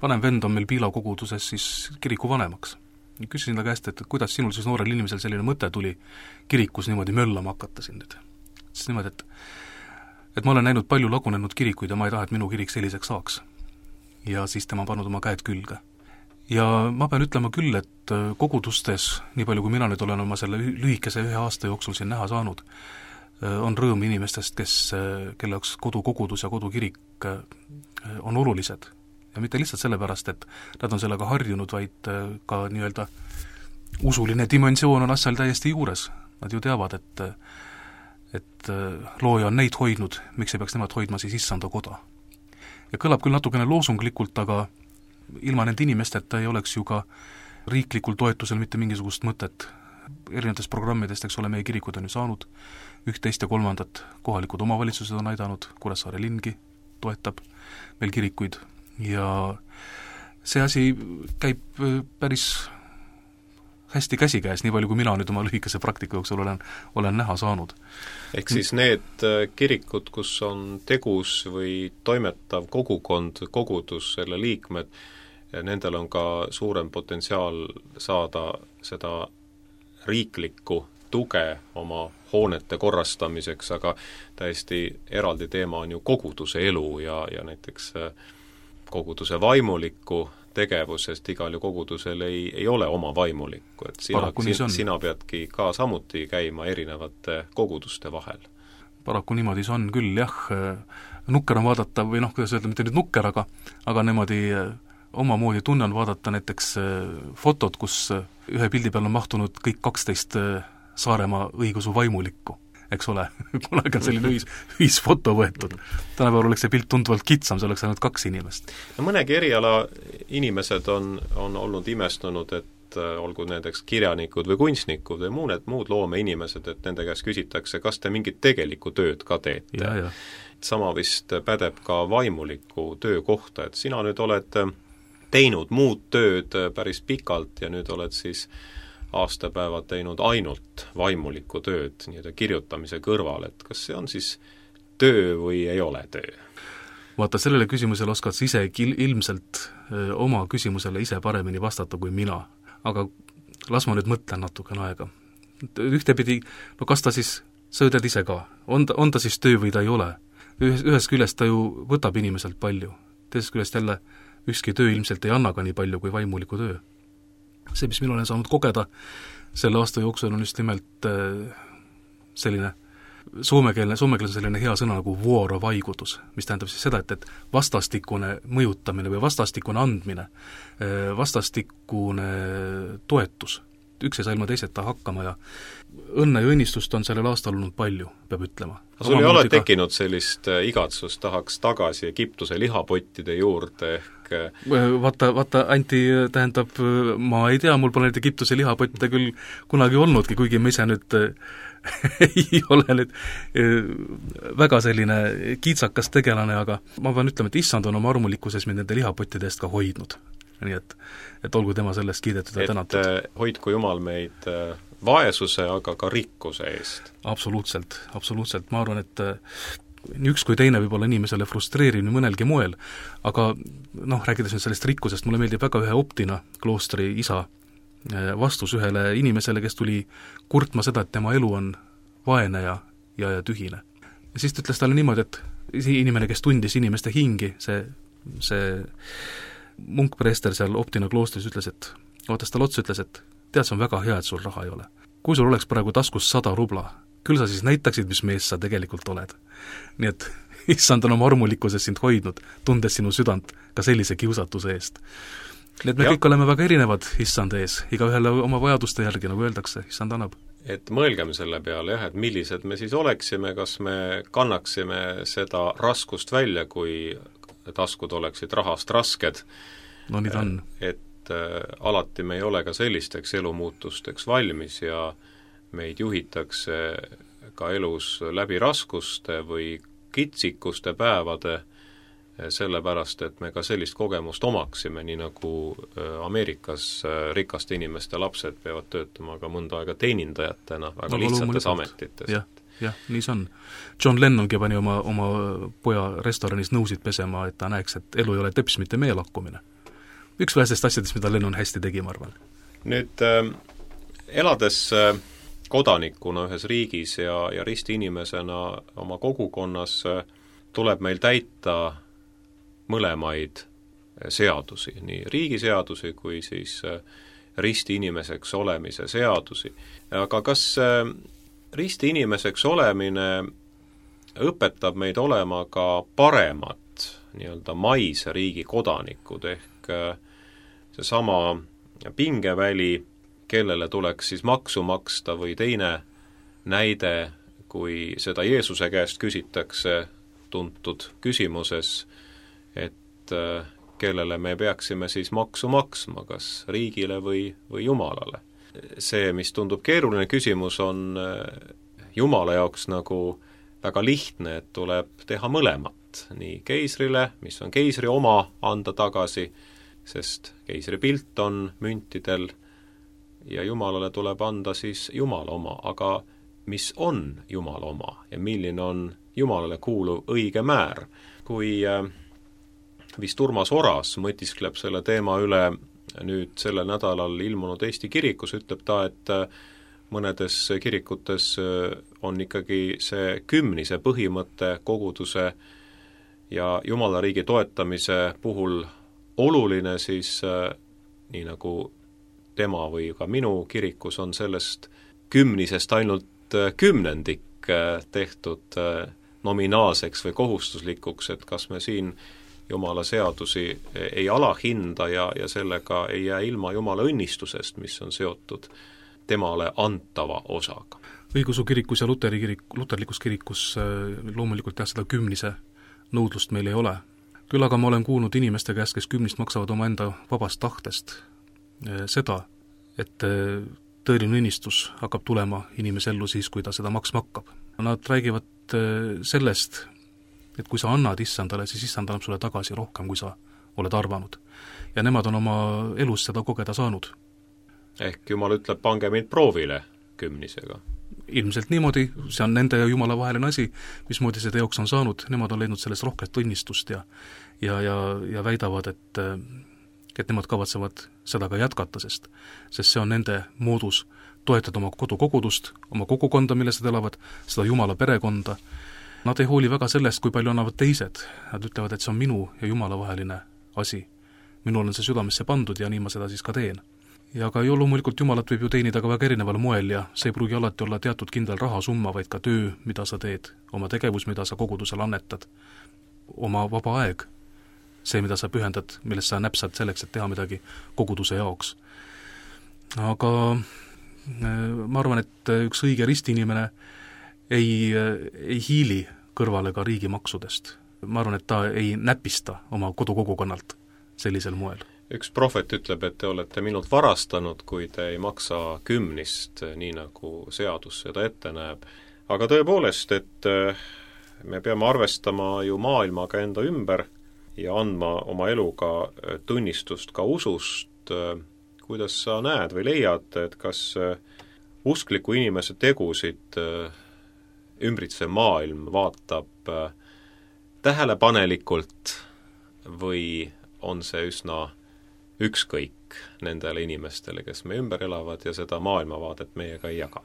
vend on meil Piila koguduses siis kiriku vanemaks. Küsisin ta käest, et kuidas sinul siis noorel inimesel selline mõte tuli kirikus niimoodi möllama hakata siin nüüd. Siis niimoodi, et ma olen näinud palju lagunenud kirikuid ja ma ei taha, et minu kirik selliseks saaks. Ja siis tema pannud oma käed külge. Ja ma pean ütlema küll, et kogudustes, nii palju kui mina nüüd olen oma selle lühikese 1 aasta jooksul siin näha saanud, on rõõm inimestest, kelle jaoks kodukogudus ja kodukirik on olulised. Ja mitte lihtsalt sellepärast, et nad on sellega harjunud, vaid ka nii-öelda usuline dimensioon on asjal täiesti juures. Nad ju teavad, et looja on neid hoidnud, miks ei peaks nemad hoidma siis issanda koda. Ja kõlab küll natukene loosunglikult, aga ilma nende inimesteta ei oleks ju ka riiklikul toetusel mitte mingisugust mõtet. Erinevatest programmidest, eks ole, meie kirikud on ju saanud 11 ja 3, kohalikud omavalitsused on aidanud, Kuressaare lingi toetab meil kirikuid ja see asi käib päris hästi käsikäes, nii palju kui mina nüüd oma lühikese praktika jooksul olen näha saanud. Ehk siis need kirikud, kus on tegus või toimetav kogukond, kogudus, selle liikmed, nendel on ka suurem potentsiaal saada seda riiklikku tuge oma hoonete korrastamiseks, aga täiesti eraldi teema on ju koguduse elu ja näiteks koguduse vaimulikku tegevusest igal ju kogudusel ei ole oma vaimulikku, et sina peadki ka samuti käima erinevate koguduste vahel. Paraku niimoodi see on küll, jah, nukker on vaadata, või kuidas öelda, mitte nüüd nukker, aga niimoodi omamoodi tunne on vaadata näiteks fotod, kus ühe pildi peal on mahtunud kõik 12 Saaremaa õigeusu vaimulikku, eks ole, kunagi on selline ühisfoto võetud. Tänapäeval oleks see pilt tunduvalt kitsam, see oleks ainult 2 inimest. No mõnegi eriala inimesed on olnud imestunud, et olgu nendeks kirjanikud või kunstnikud või muud loomeinimesed, et nende käest küsitakse, kas te mingit tegelikku tööd ka teete. Ja. Sama vist pädeb ka vaimuliku töö kohta, et sina nüüd oled teinud muud tööd päris pikalt ja nüüd oled siis aastapäevad teinud ainult vaimulikku tööd nii-öelda kirjutamise kõrval, et kas see on siis töö või ei ole töö? Vaata, sellele küsimusele oskad sa ise ilmselt oma küsimusele ise paremini vastata kui mina, aga las ma nüüd mõtlen natukene aega. Ühtepidi, no kas ta siis, sa ütled ise ka, on ta siis töö või ta ei ole? Ühest küljest ta ju võtab inimeselt palju, teisest küljest jälle ükski töö ilmselt ei anna ka nii palju kui vaimuliku töö. See, mis mina olen saanud kogeda selle aasta jooksul, on just nimelt selline soomekeelne selline hea sõna nagu vuorovaikutus, mis tähendab siis seda, et vastastikune mõjutamine või vastastikune andmine, vastastikune toetus. Üks ei saa ilma teiseta hakkama ja õnne ja õnnistust on sellel aastal olnud palju, peab ütlema. Sul ei ole tekkinud sellist igatsust, tahaks tagasi Egiptuse lihapottide juurde ehk Vaata, Anti, tähendab, ma ei tea, mul pole neid Egiptuse lihapotte küll kunagi olnudki, kuigi ma ise nüüd ei ole nüüd väga selline kiitsakas tegelane, aga ma pean ütlema, et issand on oma armulikkuses mind nende lihapottide eest ka hoidnud. Nii et olgu tema sellest kiidetud ja tänatud. Et hoidku Jumal meid vaesuse, aga ka rikkuse eest. Absoluutselt. Ma arvan, et nii üks kui teine võib olla inimesele frustreeriv nii mõnelgi moel, aga rääkides nüüd sellest rikkusest, mulle meeldib väga ühe Optina kloostri isa vastus ühele inimesele, kes tuli kurtma seda, et tema elu on vaene ja tühine. Ja siis ta ütles talle niimoodi, et inimene, kes tundis inimeste hingi, see munkpreester seal Optina kloostris ütles, et vaatas talle otsa, ütles, et tead, see on väga hea, et sul raha ei ole. Kui sul oleks praegu taskus 100 rubla, küll sa siis näitaksid, mis mees sa tegelikult oled. Nii et issand on oma armulikkuses sind hoidnud, tundes sinu südant ka sellise kiusatuse eest. Nii et me kõik oleme väga erinevad issand ees, igaühele oma vajaduste järgi, nagu öeldakse, issand annab. Et mõelgem selle peale, et millised me siis oleksime, kas me kannaksime seda raskust välja, kui taskud oleksid rahast rasked. No nii ta on. Et alati me ei ole ka sellisteks elumuutusteks valmis ja meid juhitakse ka elus läbi raskuste või kitsikuste päevade, sellepärast, et me ka sellist kogemust omaksime, nii nagu Ameerikas rikaste inimeste lapsed peavad töötama ka mõnda aega teenindajatena väga lihtsates ametites. Jah, nii see on. John Lennongi pani oma poja restoranis nõusid pesema, et ta näeks, et elu ei ole teps, mitte meelakkumine. Üks vähesest asjadest, mida Lennon hästi tegi, ma arvan. Nüüd elades kodanikuna ühes riigis ja ristiinimesena oma kogukonnas tuleb meil täita mõlemaid seadusi, nii riigiseadusi kui siis ristiinimeseks olemise seadusi. Aga kas ristiinimeseks olemine õpetab meid olema ka paremad nii-öelda maise riigi kodanikud ehk seesama pingeväli, kellele tuleks siis maksu maksta või teine näide, kui seda Jeesuse käest küsitakse tuntud küsimuses, et kellele me peaksime siis maksu maksma, kas riigile või Jumalale. See, mis tundub keeruline küsimus, on Jumala jaoks nagu väga lihtne, et tuleb teha mõlemat, nii keisrile, mis on keisri oma, anda tagasi, sest keisri pilt on müntidel, ja Jumalale tuleb anda siis Jumala oma, aga mis on Jumala oma ja milline on Jumalale kuuluv õige määr. Kui vist Urmas Oras mõtiskleb selle teema üle nüüd sellel nädalal ilmunud Eesti kirikus, ütleb ta, et mõnedes kirikutes on ikkagi see kümnise põhimõte koguduse ja Jumala riigi toetamise puhul oluline, siis nii nagu tema või ka minu kirikus on sellest kümnisest ainult kümnendik tehtud nominaalseks või kohustuslikuks, et kas me siin Jumala seadusi ei alahinda ja sellega ei jää ilma Jumala õnnistusest, mis on seotud temale antava osaga. Õigeusu kirikus ja luterlikus kirikus loomulikult jah, seda kümnise nõudlust meil ei ole. Küll aga ma olen kuulnud inimeste käest, kes kümnist maksavad oma enda vabast tahtest seda, et tõeline õnnistus hakkab tulema inimese ellu siis, kui ta seda maksma hakkab. Nad räägivad sellest, et kui sa annad issandale, siis issand annab sulle tagasi rohkem, kui sa oled arvanud. Ja nemad on oma elus seda kogeda saanud. Ehk Jumal ütleb, pange mind proovile kümnisega. Ilmselt niimoodi, see on nende ja Jumala vaheline asi, mismoodi see teoks on saanud, nemad on leidnud sellest rohket õnnistust ja väidavad, et nemad kavatsevad seda ka jätkata, sest see on nende moodus toetada oma kodukogudust, oma kogukonda, milles nad elavad, seda Jumala perekonda. Nad ei hooli väga sellest, kui palju annavad teised. Nad ütlevad, et see on minu ja Jumala vaheline asi. Minul on see südamesse pandud ja nii ma seda siis ka teen. Ja ka loomulikult Jumalat võib ju teenida ka väga erineval moel ja see ei pruugi alati olla teatud kindel rahasumma, vaid ka töö, mida sa teed, oma tegevus, mida sa kogudusel annetad, oma vaba aeg, see, mida sa pühendad, millest sa näpsad selleks, et teha midagi koguduse jaoks. Aga ma arvan, et üks õige ristiinimene ei hiili kõrvale ka riigimaksudest. Ma arvan, et ta ei näpista oma kodukogukonnalt sellisel moel. Üks prohvet ütleb, et te olete minult varastanud, kui te ei maksa kümnist, nii nagu seadus seda ette näeb. Aga tõepoolest, et me peame arvestama ju maailmaga enda ümber ja andma oma eluga tunnistust ka usust. Kuidas sa näed või leiad, et kas uskliku inimese tegusid ümbritsev maailm vaatab tähelepanelikult või on see üsna ükskõik nendele inimestele, kes me ümber elavad ja seda maailmavaadet meiega ei jaga?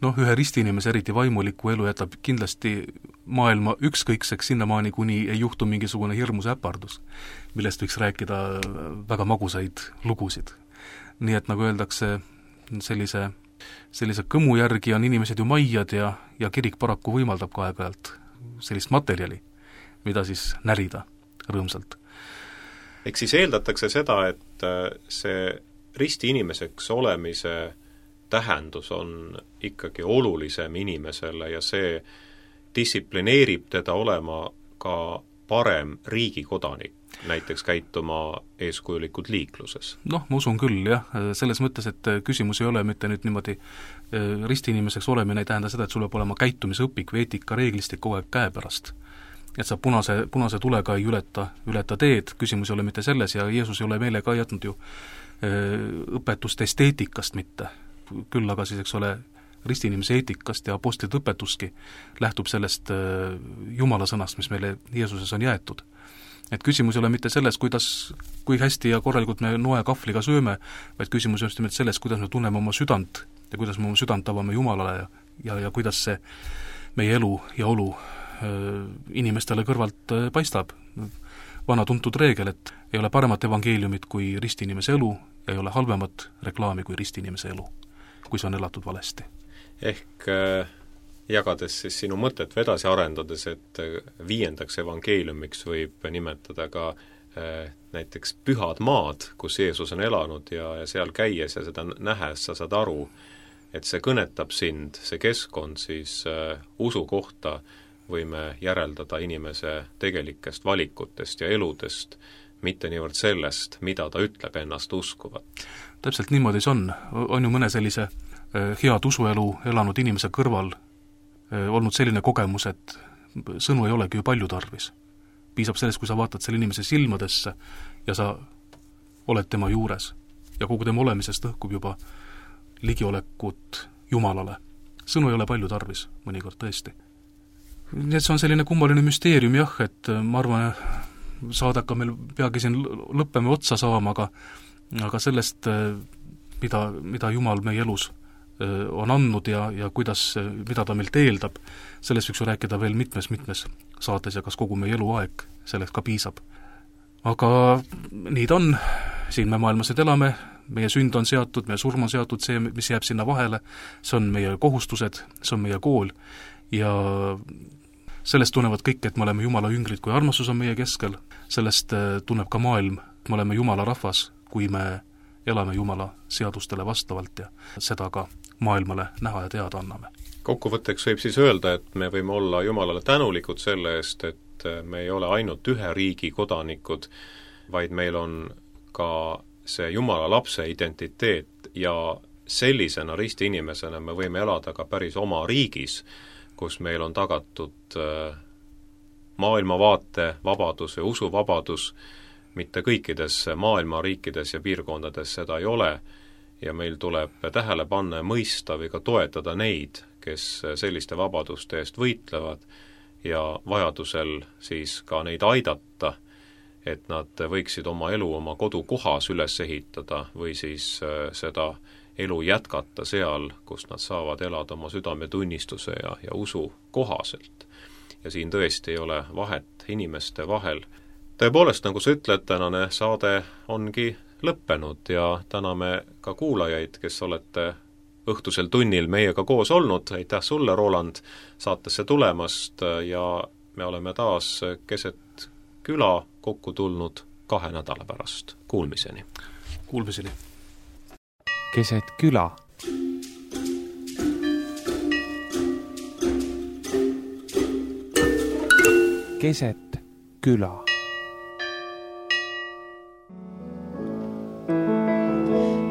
Ühe ristiinimese eriti vaimuliku elu jätab kindlasti maailma ükskõikseks sinnamaani, kuni ei juhtu mingisugune hirmus äpardus, millest võiks rääkida väga magusaid lugusid. Nii et nagu öeldakse, sellise kõmu järgi on inimesed ju maiad ja kirik paraku võimaldab ka aeg-ajalt sellist materjali, mida siis närida rõõmsalt. Ehk siis eeldatakse seda, et see ristiinimeseks olemise tähendus on ikkagi olulisem inimesele ja see distsiplineerib teda olema ka parem riigikodanik, näiteks käituma eeskujulikult liikluses. Ma usun küll, jah, selles mõttes, et küsimus ei ole mitte nüüd niimoodi ristiinimeseks olemine ei tähenda seda, et sul peab olema käitumisõpik või eetikareeglistik kogu aeg käepärast. et sa punase tulega ei ületa teed, küsimus ei ole mitte selles ja Jeesus ei ole meile ka jätnud ju õpetust esteetikast mitte, küll aga siis, eks ole, ristiinimise eetikast ja apostlite õpetuski lähtub sellest Jumala sõnast, mis meile Jeesuses on jäetud. Et küsimus ei ole mitte selles, kui hästi ja korralikult me noekahvliga sööme, vaid küsimus on just nimelt selles, kuidas me tunneme oma südant ja kuidas me oma südant avame Jumalale ja kuidas see meie elu ja olu inimestele kõrvalt paistab. Vana tuntud reegel, et ei ole paremat evangeeliumit kui ristiinimese elu ja ei ole halvemat reklaami kui ristiinimese elu, kui see on elatud valesti. Ehk jagades siis sinu mõtet või edasi arendades, et 5. evangeeliumiks võib nimetada ka näiteks pühad maad, kus Jeesus on elanud ja seal käies ja seda nähes sa saad aru, et see kõnetab sind, see keskkond siis usu kohta võime järeldada inimese tegelikest valikutest ja eludest, mitte niivõrd sellest, mida ta ütleb ennast uskuvat. Täpselt niimoodi see on. On ju mõne sellise head usuelu elanud inimese kõrval olnud selline kogemus, et sõnu ei olegi ju palju tarvis. Piisab sellest, kui sa vaatad selle inimese silmadesse ja sa oled tema juures ja kogu tema olemisest õhkub juba ligiolekut Jumalale. Sõnu ei ole palju tarvis, mõnikord tõesti. Nii et see on selline kummaline müsteerium jah, et ma arvan, saadaka meil peagi siin lõppeme otsa saama, aga sellest, mida Jumal meie elus on andnud ja mida ta meilt eeldab, sellest võiks ju rääkida veel mitmes saates ja kas kogu meie eluaeg selleks ka piisab. Aga nii ta on, siin me maailmas nüüd elame, meie sünd on seatud, meie surm on seatud, see, mis jääb sinna vahele, see on meie kohustused, see on meie kool ja sellest tunnevad kõik, et me oleme Jumala jüngrid, kui armastus on meie keskel, sellest tunneb ka maailm, et me oleme Jumala rahvas, kui me elame Jumala seadustele vastavalt ja seda ka maailmale näha ja teada anname. Kokkuvõtteks võib siis öelda, et me võime olla Jumalale tänulikud selle eest, et me ei ole ainult ühe riigi kodanikud, vaid meil on ka see Jumala lapse identiteet ja sellisena ristiinimesena me võime elada ka päris oma riigis, kus meil on tagatud maailmavaate vabadus ja usuvabadus, mitte kõikides maailma riikides ja piirkondades seda ei ole ja meil tuleb tähele panna ja mõista või ka toetada neid, kes selliste vabaduste eest võitlevad ja vajadusel siis ka neid aidata, et nad võiksid oma elu oma kodukohas üles ehitada või siis seda elu jätkata seal, kus nad saavad elada oma südametunnistuse ja usu kohaselt. Ja siin tõesti ei ole vahet inimeste vahel. Tõepoolest, nagu sa ütled, tänane saade ongi lõppenud ja täname ka kuulajaid, kes olete õhtusel tunnil meiega koos olnud. Aitäh sulle, Roland, saatesse tulemast ja me oleme taas keset küla kokku tulnud 2 nädala pärast. Kuulmiseni. Kuulmiseni. Keset küla. Keset küla.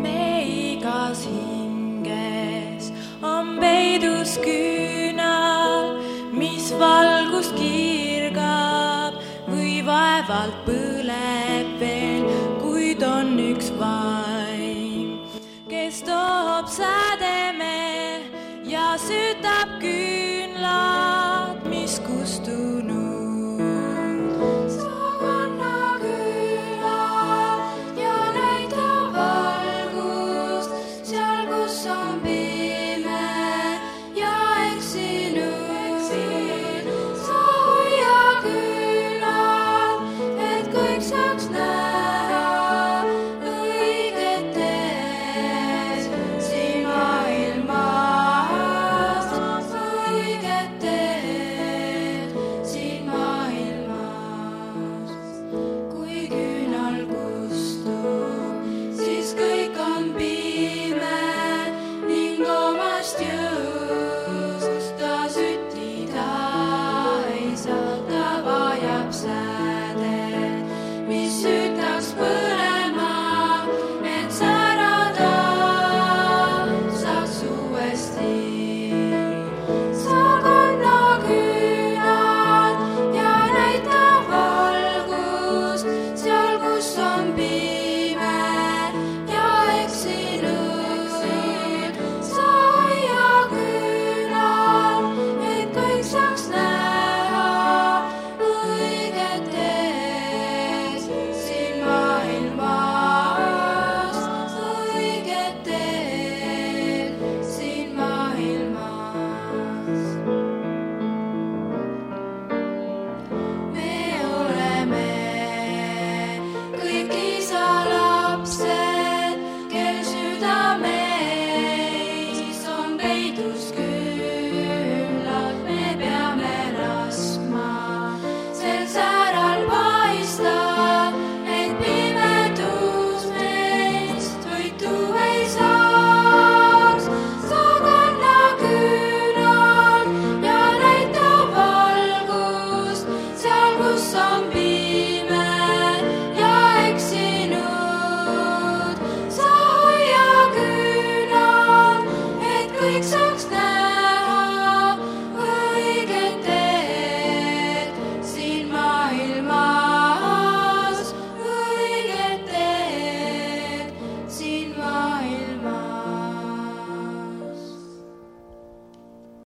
Meigas hinges on peidus küünal, mis valgust kirgab või vaevalt põleb veel, kuid on üks vaim, kes toob sädeme ja sütab küünlad, mis kustunud.